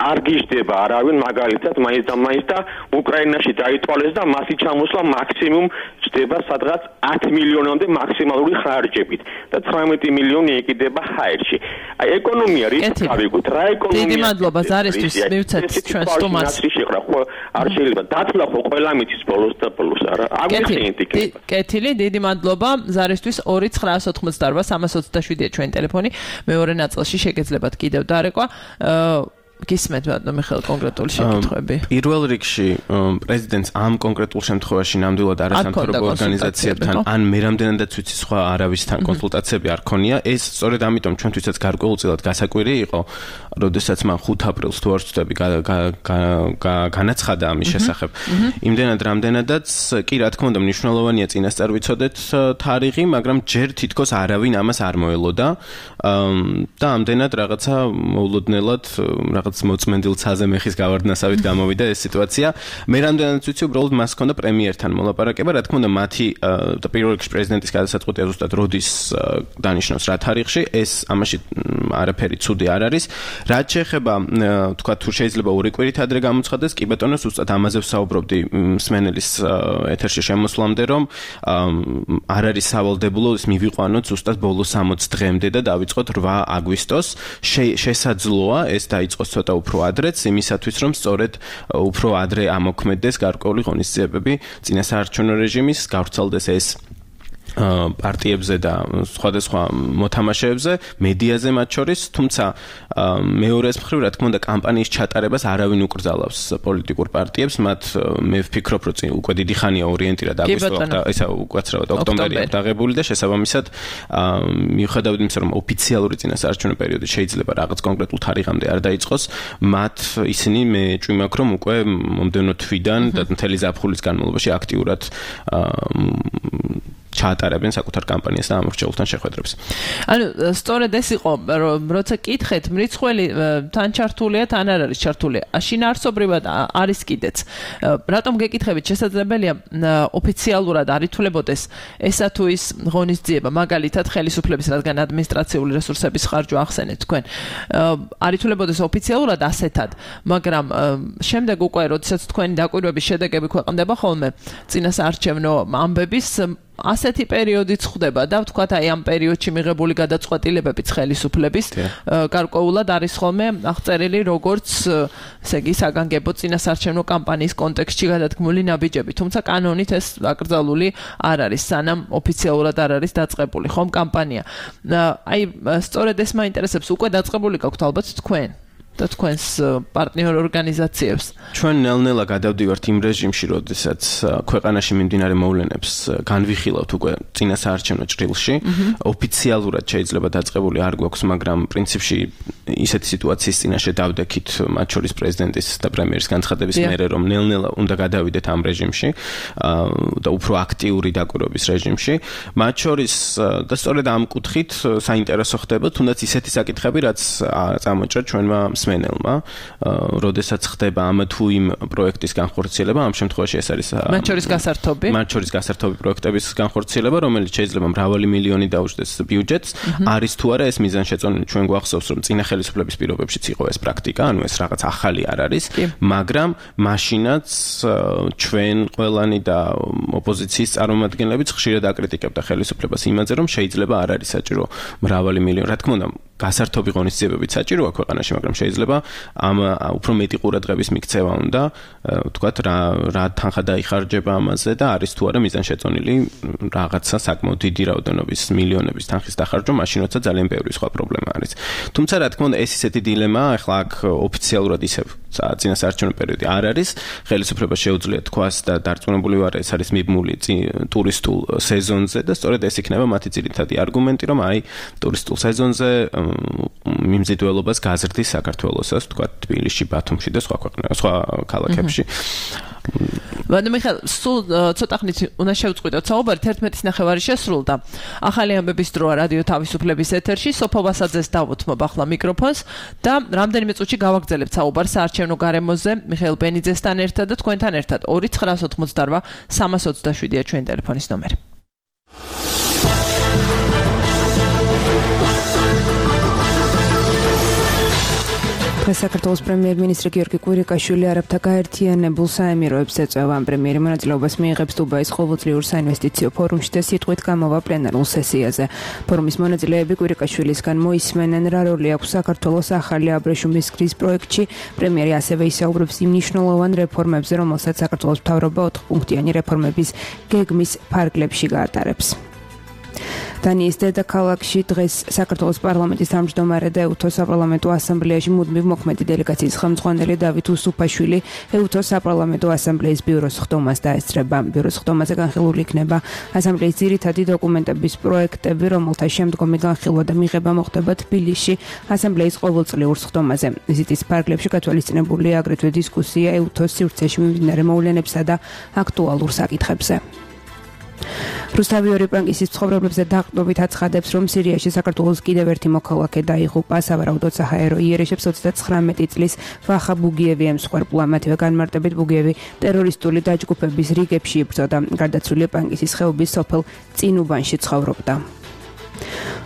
არ გიждდება არავინ მაგალითად მაინც და მაინც და უკრაინაში დაითვალეს და მასი ჩამოსვლა მაქსიმუმ ჯდება სადღაც ათი მილიონამდე მაქსიმალური ხარჯებით და ცხრამეტი მილიონი ეკიდება ჰაერში. აი ეკონომია რით გავიგოთ რა ეკონომია. დიდი მადლობა ზარისთვის მივცეთ ჩვენ სტუმარს. არ შეიძლება დათვლა ხო ყველა მიწის ბოლოს და ბოლოს არა. აგვიხსენეთ იქნება. კეთილი, დიდი მადლობა ზარისთვის ორი ცხრაას ოთხმოცდაარბა სამას ოცდაშვიდია ჩვენი ტელეფონი. მეორე ნაწილში შეგეძლებათ კიდევ დარეკვა. გისმენთ ბატონო მიხეილ კონკრეტული შეკითხვები. პირველ რიგში პრეზიდენტს ამ კონკრეტულ შემთხვევაში ნამდვილად არასამთავრობო ორგანიზაციებთან ან მე რამდენადაც ვიცი სხვა არავისთან კონსულტაციები არ ქონია. ეს სწორედ ამიტომ ჩვენთვისაც გარკვეულწილად გასაკვირი იყო, როდესაც მან ხუთი აპრილს თუ არ ვცდები განაცხადა ამის შესახებ. იმდენად რამდენადაც კი რა თქმა უნდა მნიშვნელოვანია წინასწარ ვიცოდეთ თარიღი, მაგრამ ჯერ თითქოს არავინ ამას არ მოელოდა და ამდენად რაღაცა მოულოდნელად რაღაც მოწმენდილ ცაზე მეხის გავარდნასავით გამოვიდა ეს სიტუაცია. მე რამდენადაც ვიცი, უბრალოდ მას ჰქონდა პრემიერთან მოლაპარაკება, რა თქმა უნდა, მათი და პირველ რიგში პრეზიდენტის გადასაწყვეტია ზუსტად როდის დანიშნავს რა თარიღში, ეს ამაში არაფერი ცუდი არ არის. რაც შეეხება თქვა თუ შეიძლება ორი კვირით ადრე გამოცხადდეს, კი ბატონო, ზუსტად ამაზე ვსაუბრობდი მსმენელის ეთერში შემოსვლამდე, რომ არ არის სავალდებულო ის მივიყვანოთ ზუსტად ბოლო სამოცი დღემდე და დავიწყოთ რვა აგვისტოს. შესაძლოა ეს დაიწყოს ცოტა უფრო ადრეც, იმისათვის რომ სწორედ უფრო ადრე ამოქმედდეს გარკვეული ღონისძიებები წინასაარჩევნო რეჟიმის, გავრცელდეს ეს პარტიებზე და სხვადასხვა მოთამაშეებზე, მედიაზე მათ შორის, თუმცა მეორეს მხრივ, რა თქმა უნდა, კამპანიის ჩატარებას არავინ უკრძალავს პოლიტიკურ პარტიებს, მათ მე ვფიქრობ, რომ უკვე დიდი ხანია ორიენტირად აგვისტო და ისა უკაცრავად ოქტომბერია დაღებული და შესაბამისად მიუხედავად იმისა, რომ ოფიციალური წინასაარჩევნო პერიოდი შეიძლება რაღაც კონკრეტულ თარიღამდე არ დაიწყოს, მათ ისინი მე ჭვიმაქ რომ უკვე მომდევნო თვიდან და მთელი ზაფხულის განმავლობაში აქტიურად ჩაატარებენ საკუთარ კამპანიას და ამორჩეულთან შეხვედრებს. ანუ სწორედ ეს იყო, რომ როცა კითხეთ, მრიცხველი თან ჩართულია, თან არ არის ჩართული. შინაარსობრივად არის კიდეც. რატომ გეკითხებით, შესაძლებელია ოფიციალურად არ ითვლებოდეს ესა თუ ის ღონისძიება, მაგალითად ხელისუფლების, რადგან ადმინისტრაციული რესურსების ხარჯვა ახსენეთ თქვენ. არ ითვლებოდეს ოფიციალურად ასეთად, მაგრამ შემდეგ უკვე, როდესაც თქვენი დაკვირვების შედეგები ქვეყნდება ხოლმე წინასაარჩევნო ამბების ასეთი პერიოდიც ხდება და ვთქვათ აი ამ პერიოდში მიღებული გადაწყვეტილებებიც ხელისუფლების გარკვეულად არის ხოლმე აღწერილი როგორც ესე იგი საგანგებო წინასაარჩევნო კამპანიის კონტექსტში გადადგმული ნაბიჯები, თუმცა კანონით ეს აკრძალული არ არის, სანამ ოფიციალურად არ არის დაწყებული ხომ კამპანია. აი სწორედ ეს მაინტერესებს, უკვე დაწყებული გაქვთ ალბათ თქვენ და თქვენს პარტნიორ ორგანიზაციებს. ჩვენ ნელ-ნელა გადავდივართ იმ რეჟიმში, როდესაც ქვეყანაში მიმდინარე მოვლენებს განვიხილავთ უკვე წინასაარჩევნო ჭრილში. ოფიციალურად შეიძლება დაწყებული არ გვაქვს, მაგრამ პრინციპში ისეთი სიტუაციის წინაშე დავდექით, მათ შორის პრეზიდენტის და პრემიერის განცხადების მერე, რომ ნელ-ნელა უნდა გადავიდეთ ამ რეჟიმში და უფრო აქტიური დაკვირვების რეჟიმში. მათ შორის და სწორედ ამ კუთხით საინტერესო ხდება, თუნდაც ისეთი საკითხები, რაც წამოჭრა ჩვენმა მსმენელმა, როდესაც ხდება ამ თუ იმ პროექტის განხორციელება, ამ შემთხვევაში ეს არის მათ შორის გასართობი. მათ შორის გასართობი პროექტების განხორციელება, რომელიც შეიძლება მრავალი მილიონი დაუჯდეს ბიუჯეტს, არის თუ არა ეს მიზანშეწონილი. ჩვენ გვახსოვს, რომ წინა ხელისუფლების პირობებშიც იყო ეს პრაქტიკა, ანუ ეს რაღაც ახალი არ არის, მაგრამ მაშინაც ჩვენ ყველანი და ოპოზიციის წარმომადგენლებიც ხშირად აკრიტიკებდა ხელისუფლებას იმაზე, რომ შეიძლება არ არის საჭირო მრავალი მილიონი. რა თქმა უნდა, გასართობი ღონისძიებებით საჭიროა ქვეყანაში, მაგრამ შეიძლება ამ უფრო მეტი ყურადღების მიქცევა უნდა, ვთქვათ, რა რა თანხა დაიხარჯება ამაზე და არის თუ არა მიზანშეწონილი რაღაცა საკმაოდ დიდი რაოდენობის მილიონების თანხის დახარჯვა, მაშინ როცა ძალიან ბევრი სხვა პრობლემა არის. თუმცა რა თქმა უნდა, ეს ისეთი დილემაა, ახლა აქ ოფიციალურად ისევ წინასაარჩევნო პერიოდი არ არის, ხელისუფლებას შეუძლია თქვას და დარწმუნებული ვარ, ეს არის მიბმული ტურისტულ სეზონზე და სწორედ ეს იქნება მათი ძირითადი არგუმენტი, რომ აი ტურისტულ სეზონზე მიმზიდველობას გაზრდის საქართველოსაც, თქვა თბილისში, ბათუმში და სხვა ქვეყნებში, სხვა ქალაქებში. ვადიმ მიხეილ, სულ ცოტა ხნით უნდა შევწყვიტოთ საუბარი, თერთმეტის ნახევარი შესრულდა. ახალი ამბების დროა რადიო თავისუფლების ეთერში, სოფო ვასაძეს დავუთმობ ახლა მიკროფონს და რამდენიმე წუთში გავაგრძელებთ საუბარს საარჩევნო გარემოზე მიხეილ ბენიძესთან ერთად და თქვენთან ერთად. ორი ცხრა ოცდაოთხმოცდარბა სამას ოცდაშვიდია ჩვენი ტელეფონის ნომერი. საქართველოს პრემიერ-მინისტრი გიორგი კვირიკაშვილი არაბთა გაერთიანებულ საემიროებს ეწევა. პრემიერი მონაწილეობას მიიღებს დუბაის ყოველწლიურ საინვესტიციო ფორუმში და სიტყვით გამოვა პლენარულ სესიაზე. ფორუმის მონაწილეები კვირიკაშვილისგან მოისმენენ, რა როლი აქვს საქართველოს ახალი აბრეშუმის გზის პროექტში. პრემიერი ასევე ისაუბრებს იმ მნიშვნელოვან რეფორმებზე, რომელსაც საქართველოს მთავრობა ოთხპუნქტიანი რეფორმების გეგმის ფარგლებში გაატარებს. დანიის დედაქალაქში დღეს საქართველოს პარლამენტის თავმჯდომარე და ეუთოს საპარლამენტო ასამბლეაში მუდმივ მოქმედი დელეგაციის ხელმძღვანელი დავით უსუფაშვილი ეუთოს საპარლამენტო ასამბლეის ბიუროს ხდომას დაესწრება. ბიუროს ხდომაზე განხილული იქნება ასამბლეის ძირითადი დოკუმენტების პროექტები, რომელთა შემდგომი განხილვა და მიღება მოხდება თბილისში ასამბლეის ყოველწლიურ ხდომაზე. ვიზიტის ფარგლებში გათვალისწინებულია აგრეთვე დისკუსია ეუთოს სივრცეში მიმდინარე მოვლენებსა და აქტუალურ საკითხებზე. რუსთავი პანკისის ცხოვრებებზე დაყრდნობით აცხადებს, რომ სირიაში საქართველოს კიდევ ერთი მოქალაქე დაიღუპა. სავარაუდოდ საჰაერო იერიშებს ოცდათხრამეტი წლის ვახა ბუგიევი ემსხვერპლა. მათივე განმარტებით ბუგიევი ტერორისტული დაჯგუფების რიგებში იბრძოდა. გარდაცვლილი პანკისის ხეობის სოფელ წინუბანში ცხოვრობდა.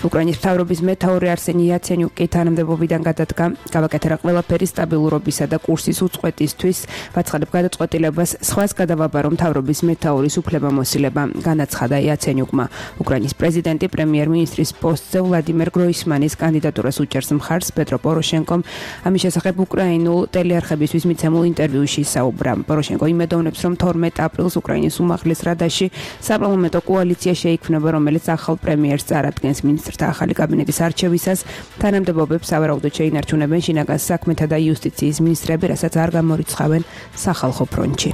უკრაინის მთავრობის მეთაური არსენი იაცენიუკი თანამდებობიდან გადადგა. გავაკეთე რა ყველაფერი სტაბილურობისა და კურსის უწყვეტისთვის. ვაცხადებ გადაწყვეტილებას სხვას გადავაბარო მთავრობის მეთაურის უფლებამოსილება, განაცხადა იაცენიუკმა. უკრაინის პრეზიდენტი პრემიერ-მინისტრის პოსტზე ვლადიმერ გროისმანის კანდიდატურას უჭერს მხარს. პეტრო პოროშენკომ ამის შესახებ უკრაინულ ტელეარხებისთვის მიცემულ ინტერვიუში საუბრა. პოროშენკო იმედოვნებს, რომ თორმეტ აპრილს უკრაინის უმაღლეს რადაში საპარლამენტო კოალიცია შეიქმნება, რომელიც ახალ პრემიერს წარადგენს. მინისტრთა ახალი კაბინეტის არჩევისას თანამდებობებს სავარაუდოდ შეინარჩუნებენ შინაგან საქმეთა და იუსტიციის მინისტრები, რასაც არ გამორიცხავენ სახალხო ფრონტში.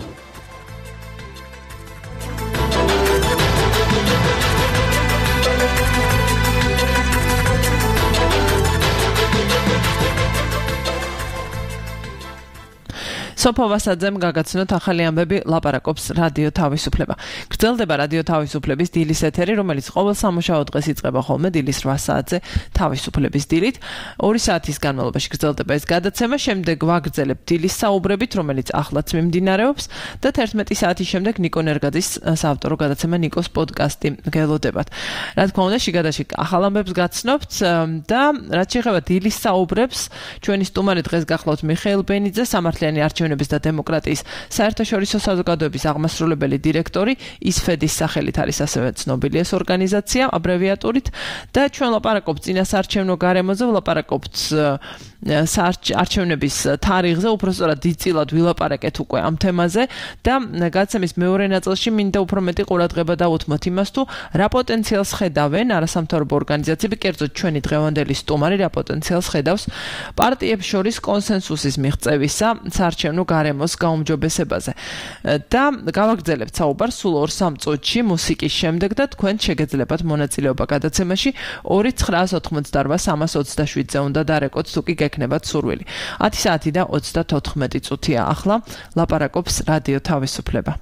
სოფო ვასაძემ გაგაცნოთ ახალი ამბები, ლაპარაკობს რადიო თავისუფლება. გრძელდება რადიო თავისუფლების დილის ეთერი, რომელიც ყოველ სამუშაო დღეს იწყება ხოლმე დილის რვა საათზე თავისუფლების დილით. ორი საათის განმავლობაში გრძელდება ეს გადაცემა, შემდეგ ვაგრძელებთ დილის საუბრებით, რომელიც ახლაც მიმდინარეობს და თერთმეტი საათის შემდეგ ნიკო ნერგაძის საავტორო გადაცემა ნიკოს პოდკასტი გელოდებათ. რა თქმა უნდა, შიგადაშიგ ახალ ამბებს გაცნობთ და რაც შეეხება დილის საუბრებს, ჩვენი სტუმარი დღეს გახლავთ მიხეილ ბენიძე, სამართლიანი არჩევნების და დემოკრატიის საერთაშორისო საზოგადოების აღმასრულებელი დირექტორი, ისფედის სახელით არის ასევე ცნობილი ეს ორგანიზაცია, აბრევიატურით და ჩვენ ლაპარაკობთ წინასაარჩევნო გარემოზე, ვლაპარაკობთ საარჩევნების თარიღზე, უბრალოდ დიდწილად ვილაპარაკეთ უკვე ამ თემაზე და გადაცემის მეორე ნაწილში მინდა უფრო მეტი ყურადღება დავუთმოთ იმას, თუ რა პოტენციალს ხედავენ არასამთავრობო ორგანიზაციები, კერძოდ ჩვენი დღევანდელი სტუმარი რა პოტენციალს ხედავს პარტიებს შორის კონსენსუსის მიღწევისა საარჩევნო გარემოს გაუმჯობესებაზე. და გავაგრძელებთ საუბარს სულ ორ სამ წუთში მუსიკის შემდეგ და თქვენ შეგეძლებათ მონაწილეობა გადაცემაში ორი ცხრა ოცდაოთხმოცდარბა სამას ოცდაშვიდზე უნდა დარეკოთ, თუ კი გექნებათ სურვილი. ათი საათი და ოცდათოთხმეტი წუთია ახლა, ლაპარაკობს რადიო თავისუფლება.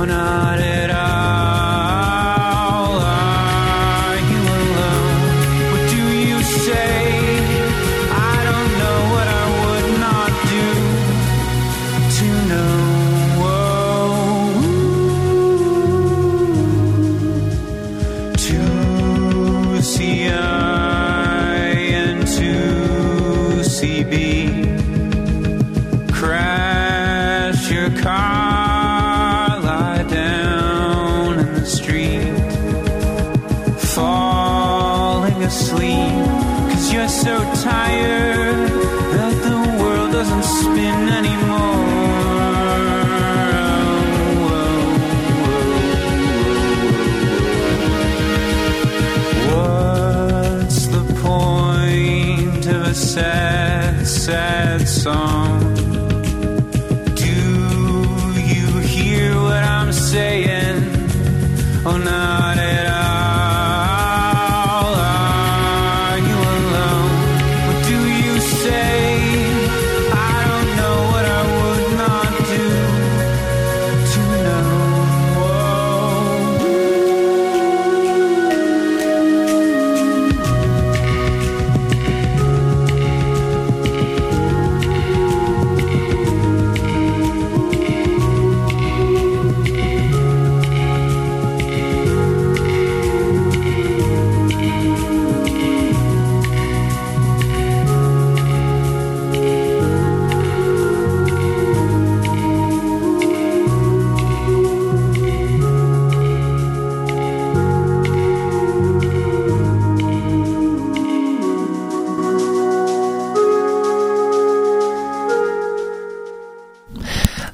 Oh, not at all. Are you alone? What do you say? I don't know what I would not do to know. Car, lie down in the street, falling asleep, 'cause you're so tired that the world doesn't spin anymore. Oh, oh, oh. What's the point of a sad, sad song? Saying, oh, not at all. Are you alone? What do you say? I don't know what I would not do to know.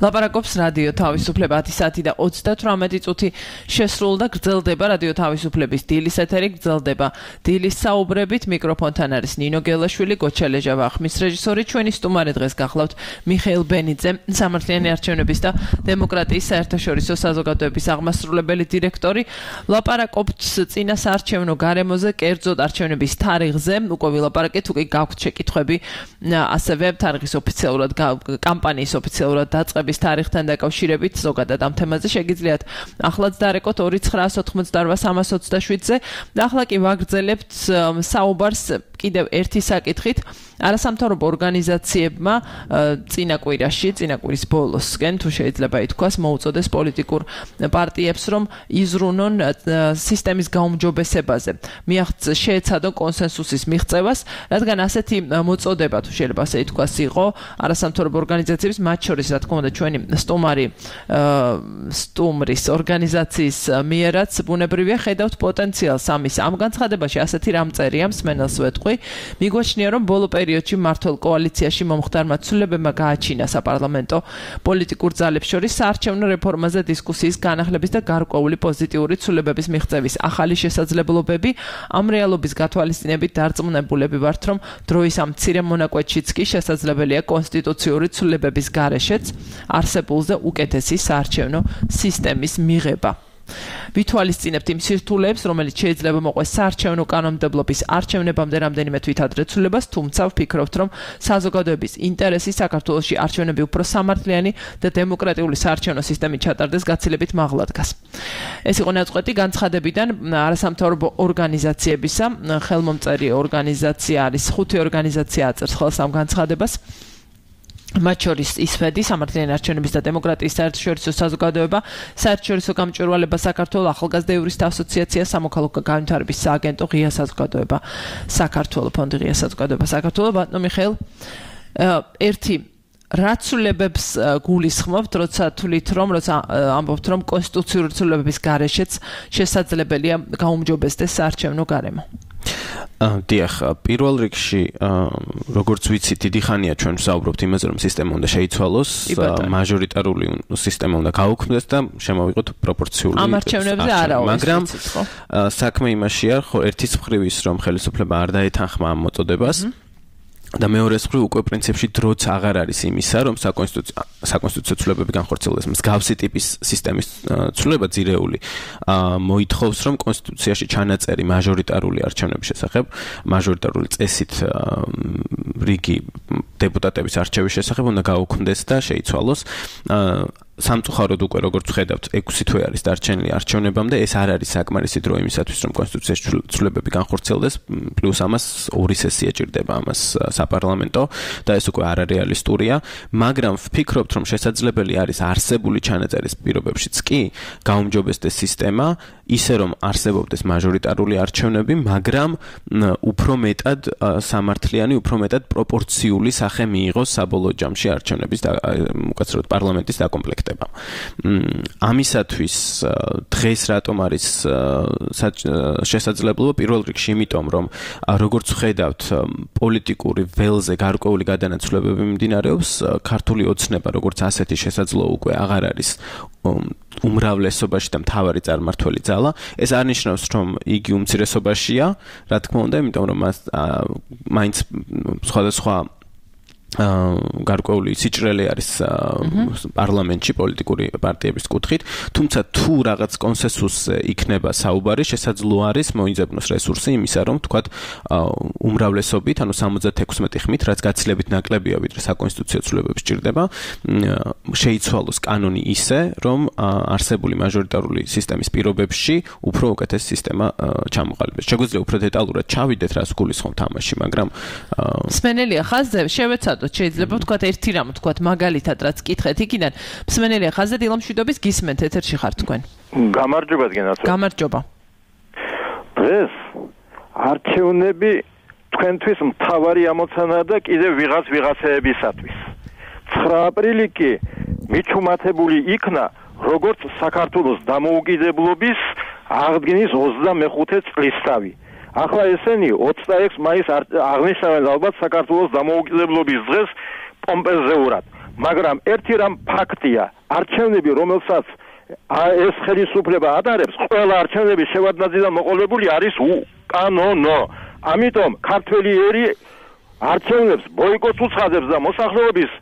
ლაპარაკობს რადიო თავისუფლება ათი საათი და ოცდათვრამეტი წუთი შესრულდა გრძელდება რადიო თავისუფლების დილის ეთერი გრძელდება დილის საუბრებით მიკროფონთან არის ნინო გელაშვილი გოჩალეჟავა ხმის რეჟისორი ჩვენი სტუმარი დღეს გახლავთ მიხეილ ბენიძე სამართლიანი არჩევნების და დემოკრატიის საერთაშორისო საზოგადოების აღმასრულებელი დირექტორი ლაპარაკობთ წინა საარჩევნო გარემოზე კერძოდ არჩევნების თარიღზე უკვე ვილაპარაკეთ უკვე გაქვთ შეკითხვები ასევე თარიღის ოფიციალურად კამპანიის ოფიციალურად დაწყების თარიღთან დაკავშირებით ზოგადად ამ თემაზე შეგიძლიათ ახლაც დარეკოთ ორი ცხრაას ოთხმოცდარვა სამას ოცდაშვიდზე და ახლა კი ვაგრძელებთ საუბარს კიდევ ერთი საკითხით არასამთავრობო ორგანიზაციებმა წინა კვირაში წინა კვირის ბოლოსკენ თუ შეიძლება ითქვას მოუწოდეს პოლიტიკურ პარტიებს რომ იზრუნონ სისტემის გაუმჯობესებაზე მიაღწიეს შეეცადონ კონსენსუსის მიღწევას რადგან ასეთი მოწოდება თუ შეიძლება ასე ითქვას იყო არასამთავრობო ორგანიზაციების მათ შორის რა თქმა უნდა ჩვენი სტუმარი სტუმრის ორგანიზაციის მიერაც ბუნებრივია ხედავთ პოტენციალს ამის ამ განცხადებაში ასეთი რამ წერია მსმენელს ვეთქვი მიგვაჩნია რომ ბოლო პერიოდში მართლ კოალიციაში მომხდარმა ცვლილებებმა გააჩინა საპარლამენტო პოლიტიკურ ძალებს შორის საარჩევნო რეფორმაზე დისკუსიის განახლების და გარკვეული პოზიტიური ცვლილებების მიღწევის ახალი შესაძლებლობები ამ რეალობის გათვალისწინებით დარწმუნებულები ვართ რომ დროის ამ მცირე მონაკვეთშიც კი შესაძლებელია კონსტიტუციური ცვლილებების გარეშეც არსებულზე უკეთესი საარჩევნო სისტემის მიღება ვითვალისწინებთ იმ სირთულეებს, რომელიც შეიძლება მოყვეს საარჩევნო კანონმდებლობის არჩევნებამდე რამდენიმე თვით ადრე ცვლილებას, თუმცა ვფიქრობთ, რომ საზოგადოების ინტერესი საქართველოში არჩევნები უფრო სამართლიანი და დემოკრატიული საარჩევნო სისტემით ჩატარდეს გაცილებით მაღლა დგას. ეს იყო ნაწყვეტი განცხადებიდან არასამთავრობო ორგანიზაციებისა, ხელმომწერი ორგანიზაცია არის ხუთი ორგანიზაცია აწერს ხელს ამ განცხადებას. მათ შორის ისფედი, სამართლიანი არჩევნების და დემოკრატიის საერთაშორისო საზოგადოება, საერთაშორისო გამჭვირვალება საქართველოს ახალგაზრდა იურისტთა ასოციაცია, სამოქალაქო განვითარების სააგენტო, ღია საზოგადოება საქართველოს, ფონდი ღია საზოგადოება საქართველოს, ბატონო მიხეილ, ერთი რაც ცვლილებებს გულისხმობთ, როცა თვლით რომ, როცა ამბობთ რომ კონსტიტუციური ცვლილებების გარეშეც შესაძლებელია გაუმჯობესდეს საარჩევნო გარემო. დიახ, პირველ რიგში, როგორც ვიცით, დიდი ხანია ჩვენ ვსაუბრობთ იმაზე, რომ სისტემა უნდა შეიცვალოს, მაჟორიტარული სისტემა უნდა გაუქმდეს და შემოვიღოთ პროპორციული ამ არჩევნებზე არა, მაგრამ საქმე იმაშია, ხო, ერთის მხრივ ის, რომ ხელისუფლება არ დაეთანხმა ამ მოწოდებას. და მეორე მხრივ უკვე პრინციპში დროც აღარ არის იმისა, რომ საკონსტიტუციო საკონსტიტუციო ცვლილებები განხორციელდეს. მსგავსი ტიპის სისტემის ცვლილება ძირეული მოითხოვს, რომ კონსტიტუციაში ჩანაწერი მაჟორიტარული არჩევნების შესახებ, მაჟორიტარული წესით რიგი დეპუტატების არჩევის შესახებ უნდა გაუქმდეს და შეიცვალოს. სამწუხაროდ უკვე როგორც ხედავთ ექვსი თვე არის დარჩენილი არჩევნებამდე ეს არ არის საკმარისი დრო იმისათვის რომ კონსტიტუციის ცვლილებები განხორციელდეს პლუს ამას ორი სესია ჭირდება ამას საპარლამენტო და ეს უკვე არარეალისტურია მაგრამ ვფიქრობთ რომ შესაძლებელი არის არსებული ჩანაწერის პირობებშიც კი გაუმჯობესდეს სისტემა ისე რომ არსებობდეს მაჟორიტარული არჩევნები მაგრამ უფრო მეტად სამართლიანი უფრო მეტად პროპორციული სახე მიიღოს საბოლოო ჯამში არჩევნების უკაცრავად პარლამენტის დაკომპლექტება. ამისათვის დღეს რატომ არის შესაძლებლობა პირველ რიგში იმიტომ რომ როგორც ხედავთ პოლიტიკური ველზე გარკვეული გადანაცვლებები მიმდინარეობს ქართული ოცნება როგორც ასეთი შესაძლო უკვე აღარ არის უმრავლესობაში და მთავარი წარმართველი ძალა ეს არ ნიშნავს რომ იგი უმცირესობაშია რა თქმა უნდა იმიტომ რომ მაინც სხვადასხვა გარკვეული სიჭრელე არის პარლამენტში პოლიტიკური პარტიების კუთხით, თუმცა თუ რაღაც კონსენსუსზე იქნება საუბარი, შესაძლოა არის მოიძებნოს რესურსი იმისა, რომ თქვათ უმრავლესობით, ანუ სამოცდათექვსმეტი ხმით, რაც გაცილებით ნაკლებია, ვიდრე საკონსტიტუციო ცვლილებები სჭირდება, შეიცვალოს კანონი ისე, რომ არსებული მაჟორიტარული სისტემის პირობებში უფრო უკეთეს სისტემა ჩამოყალიბდეს. შეგვიძლია უფრო დეტალურად ჩავიდეთ, რას გულისხმობ თამაში, მაგრამ მსმენელია ხაზზე შევეცადოთ შეიძლება ვთქვათ ერთი რამ ვთქვათ მაგალითად რაც კითხეთ იქიდან მსმენელია ხაზზე დილა მშვიდობის გისმენთ ეთერში ხართ თქვენ გამარჯობა გენაცო გამარჯობა დღეს არჩევნები თქვენთვის მთავარი ამოცანაა და კიდევ ვიღაც ვიღაცეებისათვის ცხრა აპრილი კი მიჩუმათებული იქნა როგორც საქართველოს დამოუკიდებლობის აღდგენის ოცდამეხუთე წლისთავი ახლა ესენი ოცდაექვსი მაისს აღნიშნავენ ალბათ საქართველოს დამოუკიდებლობის დღეს პომპეზეურად მაგრამ ერთი რამ ფაქტია არჩევნები რომელსაც ეს ხელისუფლება ატარებს ყველა არჩევნების შევადნაძიდან მოყოლებული არის უკანონო ამიტომ ქართველი ერი არჩევნებს ბოიკოტს უცხადებს და მოსახლეობის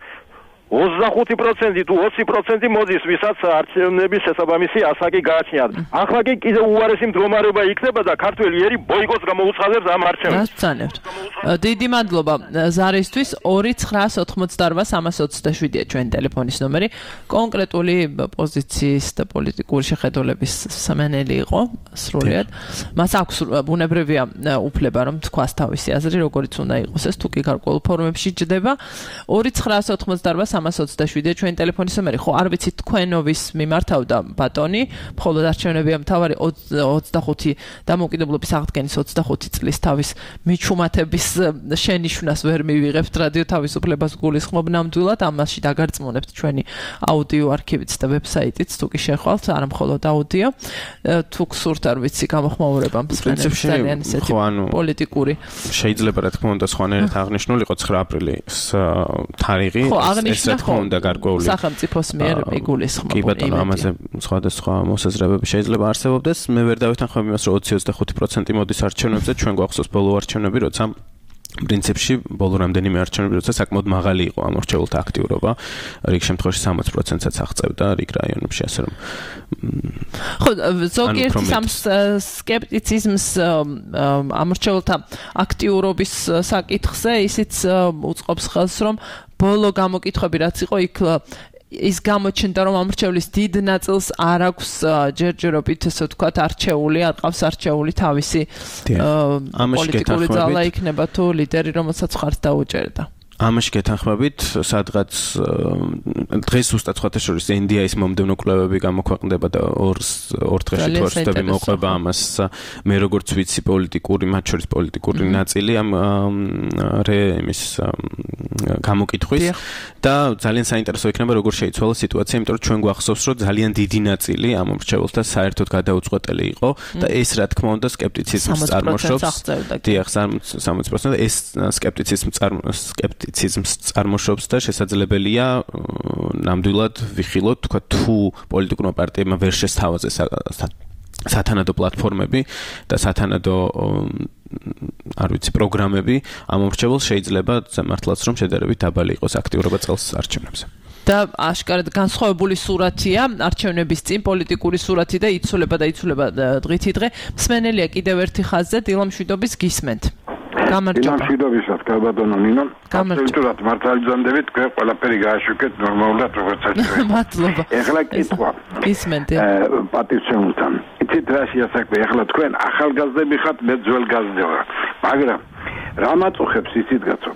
ოცდახუთი პროცენტი თუ ოცი პროცენტი მოდის, ვისაც არჩევნების შესაბამისი ასაკი გააჩნიათ. ახლა კი კიდევ უარესი მდგომარეობა იქნება და ქართველი ერი ბოიკოტს გამოუცხადებს ამ არჩევნებს. გასცანებთ. დიდი მადლობა ზარისთვის ორი ცხრაას ოთხმოცდარვა სამას ოცდაშვიდია ჩვენი ტელეფონის ნომერი. კონკრეტული პოზიციის და პოლიტიკური შეხედულების მსმენელი იყო სრულიად. მას აქვს ბუნებრივია უფლება რომ თქვას თავისი აზრი, როგორიც უნდა იყოს ეს თუ კი გარკვეულ ფორმებში ჯდება. ორი ცხრაას ოთხმოცდარვა სამას ოცდაშვიდია ჩვენი ტელეფონის ნომერი. ხო, არ ვიცი თქვენოვის მიმართავდა ბატონი, მხოლოდ არჩევნებია მთავარი ოცდახუთი დამოუკიდებლობის აღდგენის ოცდახუთი წლის თავის მიჩუმათების შენიშვნას ვერ მივიღებთ რადიო თავისუფლებას გულისხმობ ნამდვილად, ამაში დაგარწმუნებთ ჩვენი აუდიო არქივიც და ვებსაიტიც, თუ კი შეხვალთ, არა მხოლოდ აუდიო, თუ გსურთ არ ვიცი გამოხმაურება მსმენელს ძალიან ისეთი პოლიტიკური. შეიძლება რა თქმა უნდა სხვანაირად აღნიშნულიყო ცხრა აპრილის თარიღი. ხო, აღნიშნა ხო უნდა გარკვეული სახელმწიფოს მიერ იგულისხმობ. კი ბატონო, ამაზე სხვადასხვა მოსაზრებები შეიძლება არსებობდეს. მე ვერ დავეთანხმებ იმას, რომ ოცი ოცდახუთი პროცენტი მოდის არჩევნებზე, ჩვენ გვახსოვს ბოლო არჩევნები, როცა პრინციპში ბოლო რამდენიმე არჩევნები, როცა საკმაოდ მაღალი იყო ამორჩეულთა აქტიურობა, რიგ შემთხვევაში სამოცი პროცენტსაც აღწევდა რიგ რაიონებში, ასე რომ ხო, ზოგიერთი სამ სკეპტიციზმს ამორჩეულთა აქტიურობის საკითხზე ისიც უწყობს ხელს, რომ ბოლო გამოკითხვები რაც იყო იქ ის გამოჩნდა რომ ამორჩევლის დიდ ნაწილს არ აქვს ჯერჯერობით ესე ვთქვათ არჩეული, არ ყავს არჩეული თავისი პოლიტიკური ძალა იქნება თუ ლიდერი რომელსაც ხართ დაუჭერდა. ამაში გეთანხმებით, სადღაც დღეს უბრალოდ სხვათა შორის ენ დი აის მომდევნო კვლევები გამოქვეყნდება და ორ ორ დღეში თუ არ ვცდები მოყვება ამას მე როგორც ვიცი პოლიტიკური, მათ შორის პოლიტიკური ნაწილი ამ რემის გამოკითხვის და ძალიან საინტერესო იქნება როგორ შეიცვალა სიტუაცია, იმიტომ რომ ჩვენ გვახსოვს რომ ძალიან დიდი ნაწილი ამ მრჩეველთა საერთოდ გადაუწყვეტელი იყო და ეს რა თქმა უნდა სკეპტიციზმს წარმოშობს. დიახ, სამოცი პროცენტი ეს სკეპტიციზმს სკეპტიციზმს სკეპტიციზმს წარმოშობს და შესაძლებელია ნამდვილად ვიხილოთ თქვა თუ პოლიტიკურმა პარტიებმა ვერ შესთავაზეს სათანადო პლატფორმები და სათანადო არ ვიცი პროგრამები ამ მომრჩეველს შეიძლება მართლაც რომ შედარებით დაბალი იყოს აქტიურობა წელს არჩევნებზე. და აშკარად განსხვავებული სურათია არჩევნების წინ პოლიტიკური სურათი და იცვლება და იცვლება დღითი დღე. მსმენელია კიდევ ერთი ხაზზე დილა მშვიდობის გისმენთ. გამარჯობა. მშვიდობისას კაბადონო ნინო. აბსოლუტურად მართალიზანდებით თქვენ ყველაფერი გააშუქეთ ნორმალურად როგორც საჭიროა. მადლობა. ეხლა კითხვა. ისმენთ. პატივცემულთან. იცით რა შეასაქმე ეხლა თქვენ ახალგაზრდები ხართ მე ძველგაზრდა ვარ. მაგრამ რა მაწუხებს იცით კაცო?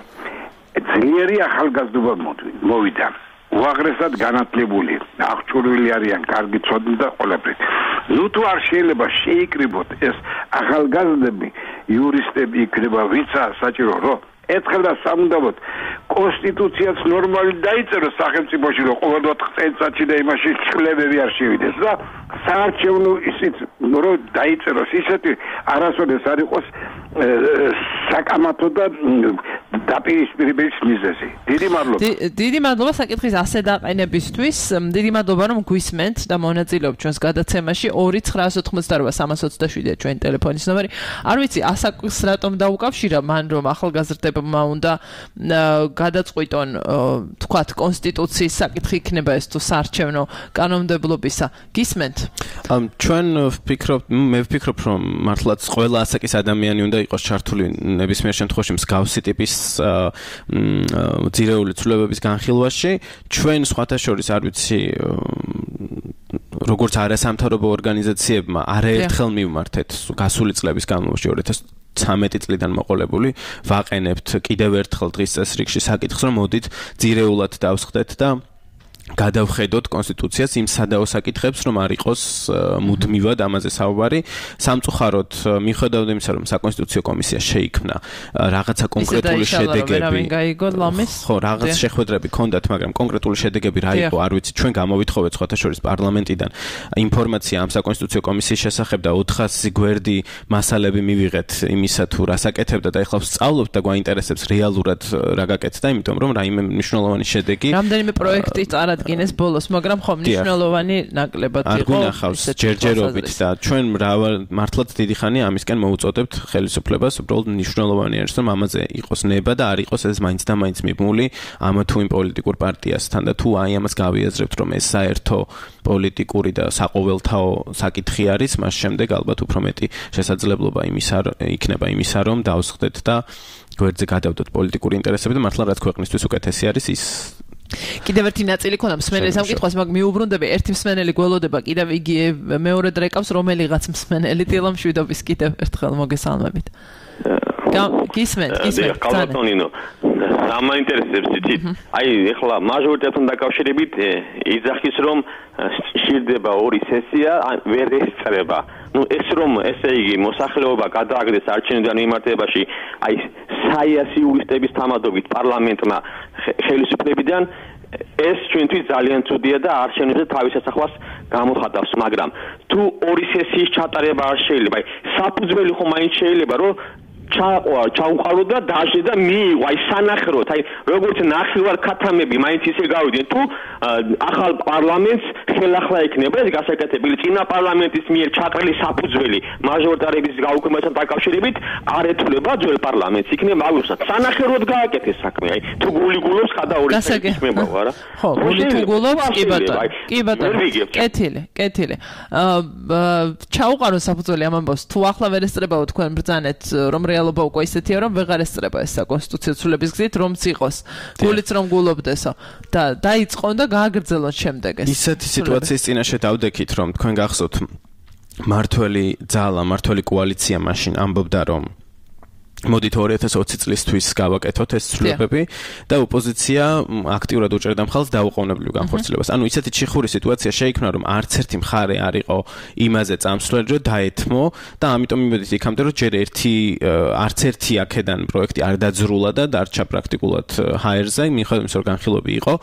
ძლიერი ახალგაზრდობა მოვიდა. უაღრესად განათლებული, აღჭურვილი არიან, კარგი ცოდნა და ყველაფერი. ნუ თუ არ შეიძლება შეიკრიბოთ ეს ახალგაზრდები, იურისტები იქნება, ვიცა საჭირო რომ ერთხელ და სამუდამოდ კონსტიტუციაც ნორმალი დაიწეროს სახელმწიფოში, რომ ყოველ ოთხ წელიწადში და იმაში ცვლილებები არ შევიდეს და საარჩევნო ისიც რომ დაიწეროს ისეთი არასოდეს არ იყოს საკამათო და დაპირისპირების მიზეზი. დიდი მადლობა. დიდი მადლობა საკითხის ასე დაყენებისთვის. დიდი მადლობა რომ გვისმენთ და მონაწილეობთ ჩვენს გადაცემაში. ორი ცხრაას ოთხმოცდაოთხ სამას ოცდაშვიდია ჩვენი ტელეფონის ნომერი. არ ვიცი ასაკს რატომ დაუკავშირა მან რომ ახალგაზრდებმა უნდა გადაწყვიტონ თქვათ კონსტიტუციის საკითხი იქნება ეს თუ საარჩევნო კანონმდებლობისა. გისმენთ? ჩვენ ვფიქრობ, მე ვფიქრობ რომ მართლაც ყველა ასაკის ადამიანი უნდა იყოს ჩართული ნებისმიერ შემთხვევაში მსგავსი ტიპის ძირეული ცვლილებების განხილვაში. ჩვენ სხვათა შორის არ ვიცი როგორც არასამთავრობო ორგანიზაციებმა არაერთხელ მივმართეთ გასული წლების განმავლობაში ორი ათას ცხრამეტი წლიდან მოყოლებული ვაყენებთ კიდევ ერთხელ დღის წესრიგში საკითხს რომ მოდით ძირეულად დავსხდეთ და გადავხედოთ კონსტიტუციას იმ სადაო საკითხებს რომ არ იყოს მუდმივად ამაზე საუბარი. სამწუხაროდ მიუხედავად იმისა რომ საკონსტიტუციო კომისია შეიქმნა რაღაცა კონკრეტული შედეგები ხო რაღაც შეხვედრები ჰქონდათ მაგრამ კონკრეტული შედეგები რა იყო არ ვიცი ჩვენ გამოვითხოვეთ სხვათა შორის პარლამენტიდან ინფორმაცია ამ საკონსტიტუციო კომისიის შესახებ და ოთხასი გვერდი მასალები მივიღეთ იმისა თუ რა საკეთებდა და ეხლა ვსწავლობთ და გვაინტერესებს რეალურად რა გაკეთდა იმიტომ რომ რაიმე მნიშვნელოვანი შედეგი რამდენიმე პროექტი წარადგინეს დგინეს ბოლოს, მაგრამ ხომ მნიშვნელოვანი ნაკლებად იყო. არ გვინახავს ჯერჯერობით და ჩვენ მართლაც დიდი ხანი ამისკენ მოუწოდებთ ხელისუფლებას, უბრალოდ მნიშვნელოვანი არის რომ ამაზე იყოს ნება და არ იყოს ეს მაინც და მაინც მიბმული ამ თუ იმ პოლიტიკურ პარტიასთან და თუ აი ამას გავიაზრებთ რომ ეს საერთო პოლიტიკური და საყოველთაო საკითხი არის, მას შემდეგ ალბათ უფრო მეტი შესაძლებლობა იმისა იქნება იმისა რომ დავსხდეთ და გვერდზე გადავდოთ პოლიტიკური ინტერესები და მართლა რაც ქვეყნისთვის უკეთესი არის ის კიდევ ერთი ნაწილი ქონდა მსმენელის ამ კითხვას, მაგ მიუბრუნდები ერთი მსმენელი გველოდება, კიდევ იგი მეორე დრეკავს რომელიღაც მსმენელი დილა მშვიდობის კიდევ ერთხელ მოგესალმებით. გისმენთ, გისმენთ. კალათონინო. ამაინტერესებს იცით? აი, ეხლა მაჟორიტეტთან დაკავშირებით იძახის რომ სჭირდება ორი სესია, ვერ ესწრება. ну ეს რომ ესე იგი მოსახლეობა გადააგდეს არჩევნიდან მიმართებაში აი საიასი იურისტების თამადობით პარლამენტმა ხელისუფლებიდან ეს ჩვენთვის ძალიან ცუდია და არჩევნებზე თავის ასახვას გამოხატავს მაგრამ თუ ორი სესიის ჩატარება არ შეიძლება აი საფუძველი ხომ მაინც შეიძლება რომ ჩაყვა ჩაუყალო და დაჟე და მიიღო აი სანახროთ აი როგორც ნახევარ ქათამები მაინც ისე გავიდნენ თუ ახალ პარლამენტს ხელახლა იქნება ეს გასაკეთებელი წინა პარლამენტის მიერ ჩაყრილი საფუძველი მაჟორიტარების გაუქმებასთან დაკავშირებით არ ეთვლება ძველ პარლამენტს იქნება აუცილებლად სანახევროდ გააკეთეს საქმე აი თუ გული გულობს ხადა ორი საქმეა არა ხო გული თუ გულობს კი ბატონო კი ბატონო კეთილი კეთილი ჩაუყარო საფუძველი ამ ამბავს თუ ახლა ვერ ესწრებაო თქვენ ბრძანეთ რომ რეალობა უკვე ისეთია რომ ვეღარ ესწრება ეს საკონსტიტუციო ცვლილების გზით რომც იყოს გულიც რომ გულობდესო და დაიწყონ და გააგრძელონ შემდეგ ეს ისეთი სიტუაციის წინაშე დავდექით რომ თქვენ გახსოვთ მართველი ძალა მართველი კოალიცია მაშინ ამბობდა რომ მოდით ორი ათას ოცი წლისთვის გავაკეთოთ ეს ცვლილებები და ოპოზიცია აქტიურად უჭერდა მხარს დაუყოვნებლივ განხორციელებას. ანუ ისეთი ჩიხური სიტუაცია შეიქმნა რომ არც ერთი მხარე არ იყო იმაზე წამსვლელი რომ დაეთმო და ამიტომ იმედით იქამდე რომ ჯერ ერთი არც ერთი აქედან პროექტი არ დაძრულა და დარჩა პრაქტიკულად ჰაერზე, მიუხედავად იმისა რომ განხილვები იყო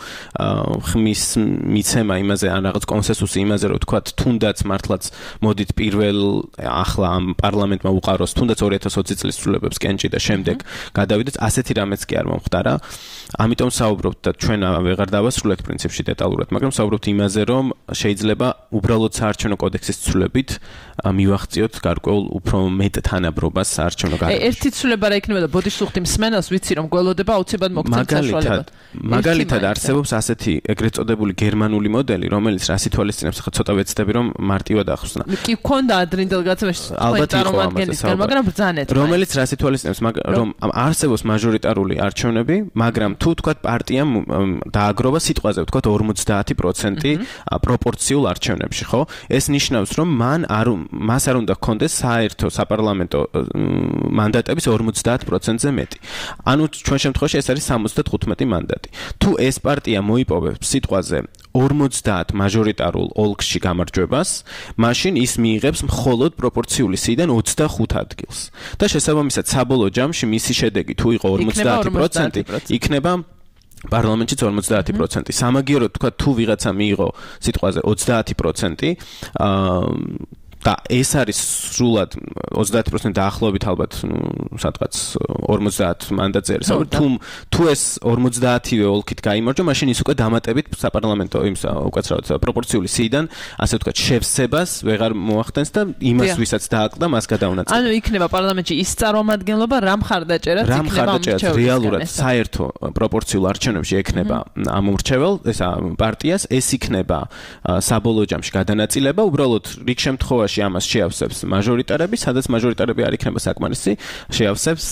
ხმის მიცემა იმაზე ან რაღაც კონსენსუსი იმაზე რომ თქვათ თუნდაც მართლაც მოდით პირველ ახლა ამ პარლამენტმა უყაროს თუნდაც ორი ათას ოცი წლის ცვლილებებს კენჭი და შემდეგ გადავიდეთ ასეთი რამეც კი არ მომხდარა. ამიტომ საუბრობთ და ჩვენ ვეღარ დავასრულეთ პრინციპში დეტალურად, მაგრამ საუბრობთ იმაზე, რომ შეიძლება უბრალოდ საარჩევნო კოდექსის ცვლილებით მივახციოთ გარკვეულ უფრო მეტ თანაბრობას საარჩევნო გადაწყვეტილებას. ერთი ცვლილება რა იქნება და ბოდიშს უხდი მსმენელს, ვიცი რომ გველოდება აუცილებლად მოგცემთ საშუალებად. მაგალითად არსებობს ასეთი ეგრეთ წოდებული გერმანული მოდელი, რომელიც რას ითვალისწინებს, ხა ცოტა ვეცდები რომ მარტივად ახსნა. კი, ქონდა ადრინდელ გაცემაში ალბათ იყო ამაზე, მაგრამ ბრძანეთ. რომელიც რას ითვალისწინებს ითვალისწინებს, რომ არსებობს მაჟორიტარული არჩევნები, მაგრამ თუ თქვათ პარტიამ დააგროვა სიტყვაზე, თქვათ ორმოცდაათი პროცენტი პროპორციულ არჩევნებში, ხო? ეს ნიშნავს, რომ მან არ მას არ უნდა ჰქონდეს საერთო საპარლამენტო მანდატების ორმოცდაათ პროცენტზე მეტი. ანუ ჩვენ შემთხვევაში ეს არის სამოცდათხუთმეტი მანდატი. თუ ეს პარტია მოიპოვებს სიტყვაზე ორმოცდაათ მაჟორიტარულ ოლქში გამარჯვებას, მაშინ ის მიიღებს მხოლოდ პროპორციული სიიდან ოცდახუთ ადგილს. და შესაბამისად საბოლოო ჯამში მისი შედეგი თუ იყო ორმოცდაათი პროცენტი, იქნება პარლამენტშიც ორმოცდაათი პროცენტი. სამაგიეროდ თქვა თუ ვიღაცა მიიღო სიტყვაზე ოცდაათი პროცენტი, აა და ეს არის სრულად ოცდაათი პროცენტი დაახლოებით ალბათ სადღაც ორმოცდაათ მანდატზე არის. თუ თუ ეს ორმოცდაათივე ოლქით გაიმარჯვა, მაშინ ის უკვე დამატებით საპარლამენტო იმს უკაცრავად პროპორციული სიიდან, ასე ვთქვათ, შევსებას ვეღარ მოახდენს და იმას ვისაც დააკლდა, მას გადაუნაწილებს. ანუ იქნება პარლამენტში ის წარმომადგენლობა, რა მხარდაჭერაც იქნება ამორჩეველს. რეალურად საერთო პროპორციულ არჩევნებში ექნება ამორჩეվել, ესა პარტიას, ეს იქნება საბოლოო ჯამში გადანაწილება, უბრალოდ რიგ შემთხვევაში ამას შეავსებს მაჟორიტარები, სადაც მაჟორიტარები არ იქნება საკმარისი, შეავსებს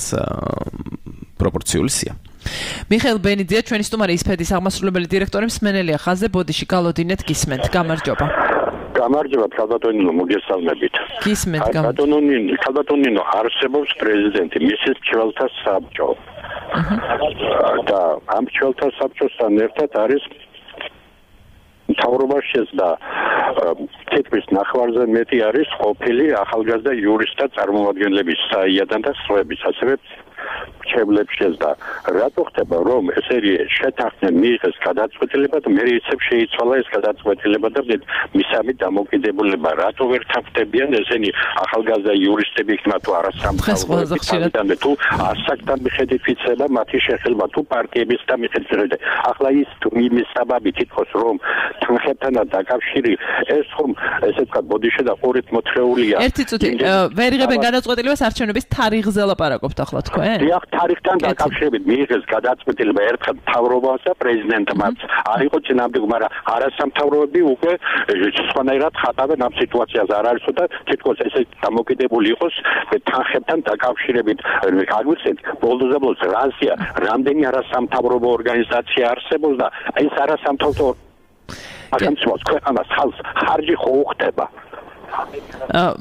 პროპორციული სია. მიხეილ ბენიძია, ჩვენი სტუმარი ისფედის აღმასრულებელი დირექტორი მსმენელია ხაზზე, ბოდიში გალოდინეთ გისმენთ. გამარჯობა. გამარჯობა, ქალბატონინო, მოგესალმებით. გისმენთ, ქალბატონინო, ქალბატონინო, არსებობს პრეზიდენტი, მისის მრჩეველთა საბჭო. და ამ მრჩეველთა საბჭოსთან ერთად არის მთავრობა შეძდა თითქმის ნახევარზე მეტი არის ყოფილი ახალგაზრდა იურისტთა წარმომადგენლების საიადან და სხვების, ასევე მრჩევლებს შეძდა. რატო ხდება, რომ ესერი შეთანხმდნენ მიიღეს გადაწყვეტილება და მე ისევ შეიცვალა ეს გადაწყვეტილება და მისამით დამოკიდებულება, რატო ვერ თანხმდებიან ესენი ახალგაზრდა იურისტები იქნება თუ არასამთავრობო თუ ასაკთან მიხედვით ვიცება მათი შეხება თუ პარტიებისთან მიხედვით. ახლა ის იმის საბაბი თითქოს რომ თანხებთანაც დაკავშირი ეს ხომ ესე ვთქვათ ბოდიში და ყურით მოთხრეულია. ერთი წუთი ვერ იღებენ გადაწყვეტილებას არჩევნების თარიღზე ლაპარაკობთ ახლა თქვენ? დიახ, თარიღთან დაკავშირებით მიიღეს გადაწყვეტილება ერთხელ მთავრობას და პრეზიდენტმაც. არ იყო წინამდებ, მაგრამ არასამთავრობოები უკვე სხვანაირად ხატავენ ამ სიტუაციას. არ არის და თითქოს ესე დამოკიდებული იყოს თანხებთან დაკავშირებით. აგვიხსენეთ, ბოლდოზე ბოლოს რაზია, რამდენი არასამთავრობო ორგანიზაცია არსებობს და ეს არასამთავრობო სახელმწიფოს ქვეყანას ხალხს ხარჯი ხო უხდება.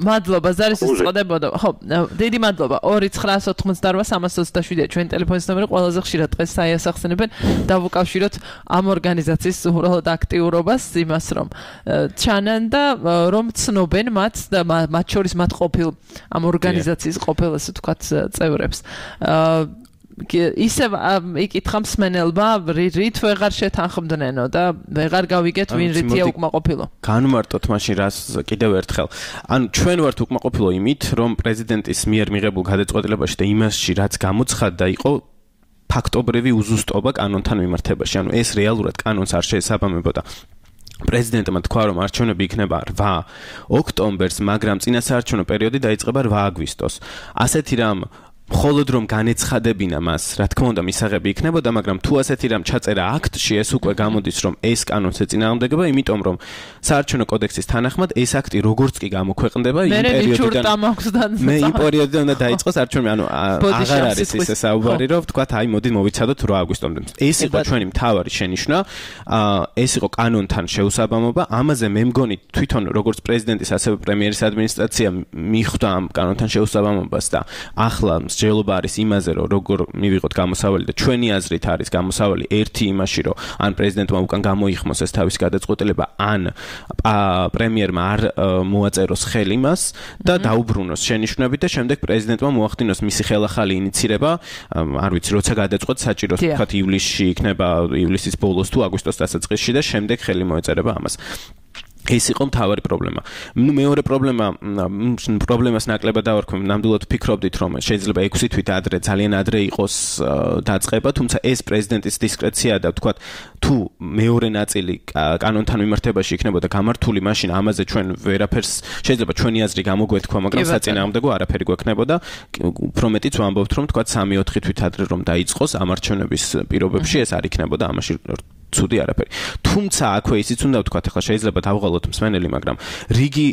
მადლობა, ზარისის წოდებოდა. ხო, დიდი მადლობა. ორი ცხრაას ოთხმოცდაოთხ სამას ოცდაშვიდია ჩვენი ტელეფონის ნომერი, ყველაზე ხშირად დღეს საიასახსენებენ. დავუკავშიროთ ამ ორგანიზაციის უბრალოდ აქტიურობას, იმას რომ ჩანან და რომ ცნობენ მათ და მათ შორის მათ ყოფილ ამ ორგანიზაციის ყოფილ, ასე ვთქვათ, წევრებს. ისევ იკითხა მსმენელმა, რით ვეღარ შეთანხმდნენო და ვეღარ გავიგეთ ვინ რითია უკმაყოფილო. განმარტოთ მაშინ რას კიდევ ერთხელ. ანუ ჩვენ ვართ უკმაყოფილო იმით, რომ პრეზიდენტის მიერ მიღებულ გადაწყვეტილებაში და იმასში, რაც გამოცხადდა, იყო ფაქტობრივი უზუსტობა კანონთან მიმართებაში. ანუ ეს რეალურად კანონს არ შეესაბამებოდა. პრეზიდენტმა თქვა, რომ არჩევნები იქნება რვა ოქტომბერს, მაგრამ წინასაარჩევნო პერიოდი დაიწყება რვა აგვისტოს. ასეთი რამ მხოლოდ რომ განეცხადებინა მას, რა თქმა უნდა, მისაღები იქნებოდა, მაგრამ თუ ასეთი რამ ჩაწერა აქტში, ეს უკვე გამოდის, რომ ეს კანონს ეწინააღმდეგება, იმიტომ რომ საარჩევნო კოდექსის თანახმად ეს აქტი როგორც კი გამოქვეყნდება, იმ პერიოდიდან მე იმ პერიოდიდან უნდა დაიწყოს არჩევნები, ანუ აღარ არის ისე საუბარი, რომ ვთქვათ, აი, მოდით მოვიცადოთ რვა აგვისტომდე. ეს იყო ჩვენი მთავარი შენიშვნა, ეს იყო კანონთან შეუსაბამობა, ამაზე მე მგონი თვითონ როგორც პრეზიდენტის, ასევე პრემიერის ადმინისტრაცია მიხვდა ამ კანონთან შეუსაბამობას და ახლა მსჯელობა არის იმაზე, რომ როგორ მივიღოთ გამოსავალი და ჩვენი აზრით არის გამოსავალი ერთი იმაში, რომ ან პრეზიდენტმა უკან გამოიხმოს ეს თავის გადაწყვეტილება, ან პრემიერმა არ მოაწეროს ხელი მას და დაუბრუნოს შენიშვნები და შემდეგ პრეზიდენტმა მოახდინოს მისი ხელახალი ინიცირება, არ ვიცი, როცა გადაწყვეტ საჭიროს, ვთქვათ, ივლისში იქნება, ივლისის ბოლოს თუ აგვისტოს დასაწყისში და შემდეგ ხელი მოეწერება ამას. ეს იყო მთავარი პრობლემა. ნუ მეორე პრობლემა, პრობლემას ნაკლებად დავარქვი, ნამდვილად ვფიქრობდით, რომ შეიძლება ექვსი თვით ადრე, ძალიან ადრე იყოს დაწყება, თუმცა ეს პრეზიდენტის დისკრეცია და ვთქვათ, თუ მეორე ნაწილი კანონთან მიმართებაში იქნებოდა გამართული, მაშინ ამაზე ჩვენ ვერაფერს შეიძლება ჩვენი აზრი გამოგვეთქვა, მაგრამ საწინააღმდეგო არაფერი გვექნებოდა. უფრო მეტიც ვამბობთ, რომ ვთქვათ, სამი ოთხი თვით ადრე რომ დაიწყოს ამ არჩევნების პირობებში, ეს არ იქნებოდა ამაში ცუდი არაფერი. თუმცა აქვე ისიც უნდა ვთქვათ, ახლა შეიძლება დავღალოთ მსმენელი, მაგრამ რიგი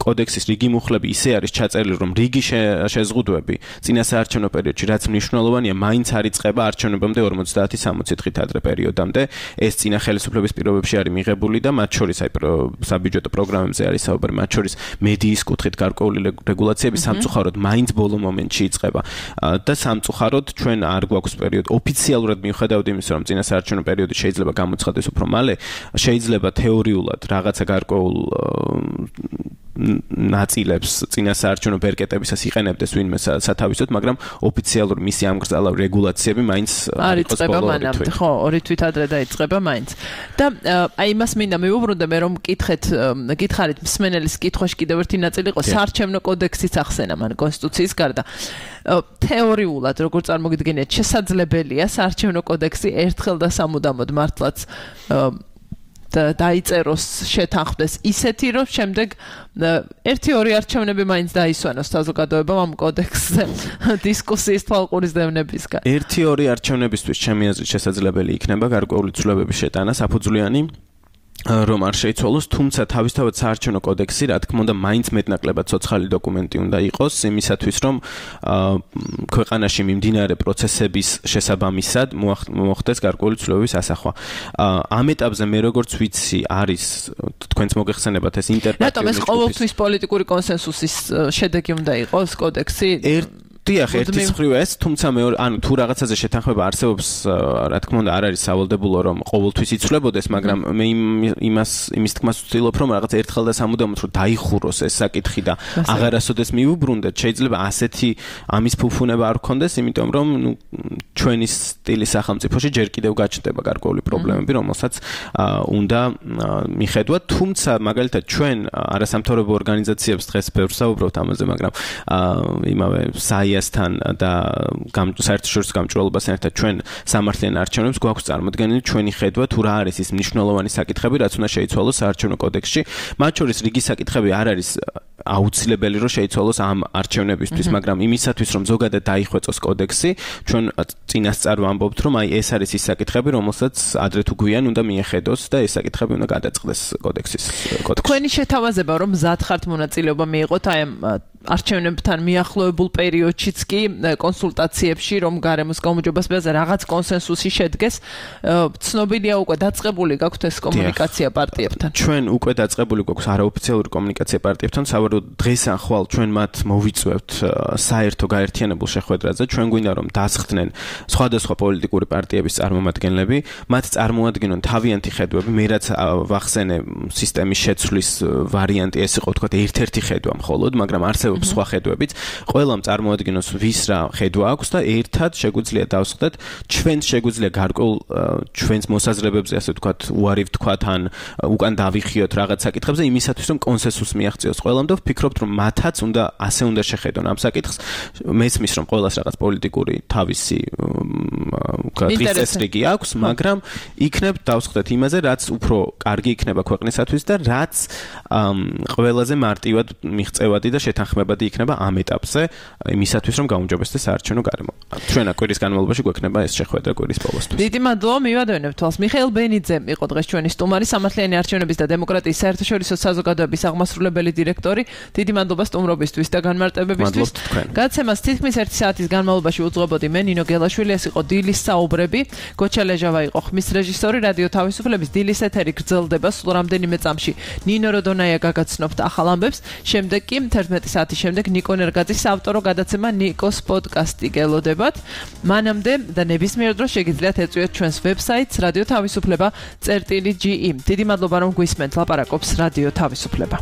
კოდექსის რიგი მუხლები ისე არის ჩაწერილი, რომ რიგი შეზღუდვები წინასაარჩევნო პერიოდში, რაც მნიშვნელოვანია, მაინც არ იწყება არჩევნებამდე ორმოცდაათი სამოცი დღით ადრე პერიოდამდე. ეს წინა ხელისუფლების პირობებში არის მიღებული და მათ შორის აი საბიუჯეტო პროგრამებზე არის საუბარი, მათ შორის მედიის კუთხით გარკვეული რეგულაციები სამწუხაროდ მაინც ბოლო მომენტში იწყება. და სამწუხაროდ ჩვენ არ გვაქვს პერიოდი ოფიციალურად მიუხედავად იმისა, რომ წინასაარჩევნო პერიოდი შეიძლება გამოცხადდეს უფრო მალე, შეიძლება თეორიულად რაღაცა გარკვეულ ნაწილებს წინასაარჩევნო ბერკეტებისას იყენებდეს ვინმე სათავისოდ, მაგრამ ოფიციალური მისი ამგრძალა რეგულაციები მაინც არ იწყება მანამდე, ხო, ორი თვით ადრე დაიწყება მაინც. და აი იმას მინდა მივუბრუნდე მე რომ მკითხეთ, გითხარით მსმენელის კითხვაში კიდევ ერთი ნაწილი იყო საარჩევნო კოდექსის ახსენა მან კონსტიტუციის გარდა. თეორიულად როგორ წარმოგიდგენიათ, შესაძლებელია საარჩევნო კოდექსი ერთხელ და სამუდამოდ მართლაც დაიწეროს, შეთანხმდეს ისეთი, რომ შემდეგ ერთი ორი არჩევნები მაინც დაისვენოს საზოგადოებამ ამ კოდექსზე დისკუსიის თვალყურის დევნებისგან. ერთი ორი არჩევნებისთვის ჩემი აზრით შესაძლებელი იქნება გარკვეული ცვლილებების შეტანა საფუძვლიანი რომ არ შეიცვალოს, თუმცა თავისთავად საარჩევნო კოდექსი, რა თქმა უნდა, მაინც მეტნაკლებად ცოცხალი დოკუმენტი უნდა იყოს იმისათვის, რომ ქვეყანაში მიმდინარე პროცესების შესაბამისად მოხდეს გარკვეული ცვლილებების ასახვა. ამ ეტაპზე მე როგორც ვიცი, არის თქვენც მოგეხსენებათ ეს ინტერპრეტაცია. რატომ ეს ყოველთვის პოლიტიკური კონსენსუსის შედეგი უნდა იყოს კოდექსი? დიახ, ერთის მხრივ ეს, თუმცა მეორე, ანუ თუ რაღაცაზე შეთანხმება არსებობს, რა თქმა უნდა, არ არის სავალდებულო, რომ ყოველთვის იცვლებოდეს, მაგრამ მე იმას იმის თქმას ვცდილობ, რომ რაღაც ერთხელ და სამუდამოდ რომ დაიხუროს ეს საკითხი და აღარასოდეს მიუბრუნდეთ, შეიძლება ასეთი ამის ფუფუნება არ გქონდეს, იმიტომ რომ ნუ ჩვენი სტილის სახელმწიფოში ჯერ კიდევ გაჩნდება გარკვეული პრობლემები, რომელსაც უნდა მიხედვათ, თუმცა მაგალითად ჩვენ არასამთავრობო ორგანიზაციებს დღეს ბევრს საუბრობთ ამაზე, მაგრამ იმავე საიასთან და საერთაშორისო გამჭვირვალობასთან ერთად ჩვენ სამართლიან არჩევნებს გვაქვს წარმოდგენილი ჩვენი ხედვა თუ რა არის ის მნიშვნელოვანი საკითხები, რაც უნდა შეიცვალოს საარჩევნო კოდექსში. მათ შორის რიგი საკითხები არ არის აუცილებელი, რომ შეიცვალოს ამ არჩევნებისთვის, მაგრამ იმისათვის, რომ ზოგადად დაიხვეწოს კოდექსი, ჩვენ წინასწარ ვამბობთ, რომ აი ეს არის ის საკითხები, რომელსაც ადრე თუ გვიან უნდა მიეხედოს და ეს საკითხები უნდა გადაწყდეს კოდექსის კოდექსში. თქვენი შეთავაზება, რომ მზად ხართ მონაწილეობა მიიღოთ აი ამ არჩევნებთან მიახლოებულ პერიოდშიც კი კონსულტაციებში, რომ გარემოს გაუმჯობესებაზე რაღაც კონსენსუსი შედგეს, ცნობილია უკვე დაწყებული გაქვთ ეს კომუნიკაცია პარტიებთან. ჩვენ უკვე დაწყებული გვაქვს არაოფიციალური კომუნიკაცია პარტიებთან, სავარაუდოდ დღეს ან ხვალ ჩვენ მათ მოვიწვევთ საერთო გაერთიანებულ შეხვედრაზე, ჩვენ გვინდა რომ დასხდნენ სხვადასხვა პოლიტიკური პარტიების წარმომადგენლები, მათ წარმოადგენონ თავიანთი ხედვები, მე რაც ვახსენე სისტემის შეცვლის ვარიანტი ეს იყო თქვა ერთ-ერთი ხედვა მხოლოდ, მაგრამ არსებობს სხვა ხედვებიც, ყველამ წარმოადგენოს ვის რა ხედვა აქვს და ერთად შეგვიძლია დავსხდეთ, ჩვენს შეგვიძლია გარკვეულ ჩვენს მოსაზრებებზე ასე ვთქვათ, უარი ვთქვათ ან უკან დავიხიოთ რაღაც საკითხებზე იმისათვის, რომ კონსენსუსს მიაღწიოს ყველამ და ვფიქრობთ, რომ მათაც უნდა ასე უნდა შეხედონ ამ საკითხს. მესმის, რომ ყველას რაღაც პოლიტიკური თავისი წესრიგი აქვს, მაგრამ იქნებ დავსხდეთ იმაზე, რაც უფრო კარგი იქნება ქვეყნისათვის და რაც ყველაზე მარტივად მიღწევადი და შეთანხმებადი იქნება ამ ეტაპზე, იმისათვის, რომ გაუმჯობესდეს საარჩევნო გარემო. ჩვენა კვირის განმავლობაში გვექნება ეს შეხვედრა კვირის ბოლოსთვის. დიდი მადლობა, მივადევნებ თვალს. მიხეილ ბენიძე იყო დღეს ჩვენი სტუმარი, სამართლიანი არჩევნების და დემოკრატიის საერთაშორისო საზოგადოების აღმასრულებელი დირექტორი. დიდი მადლობა სტუმრობისთვის და განმარტებებისთვის. გადაცემას თითქმის ერთი საათის განმავლობაში უძღვებოდი მე ნინო გელაშვილი, ეს იყო დილის საუბრები. გოჩა ლეჟავა იყო ხმის რეჟისორი, რადიო თავისუფლების დილის ეთერი გრძელდება სულ რამდენიმე წამში. ნინო როდონაია გაგაცნობთ ახალ ამბებს, შემდეგ კი თერთმეტი საათის შემდეგ ნიკო ნერგაძის ავტორო გადაცემა ნიკოს პოდკასტი გელოდებათ. მანამდე და ნებისმიერ დროს შეგიძლიათ ეწვიოთ ჩვენს ვებსაიტს რადიო თავისუფლება წერტილი ჯი ი. დიდი მადლობა რომ გვისმენთ, ლაპარაკობს რადიო თავისუფლება.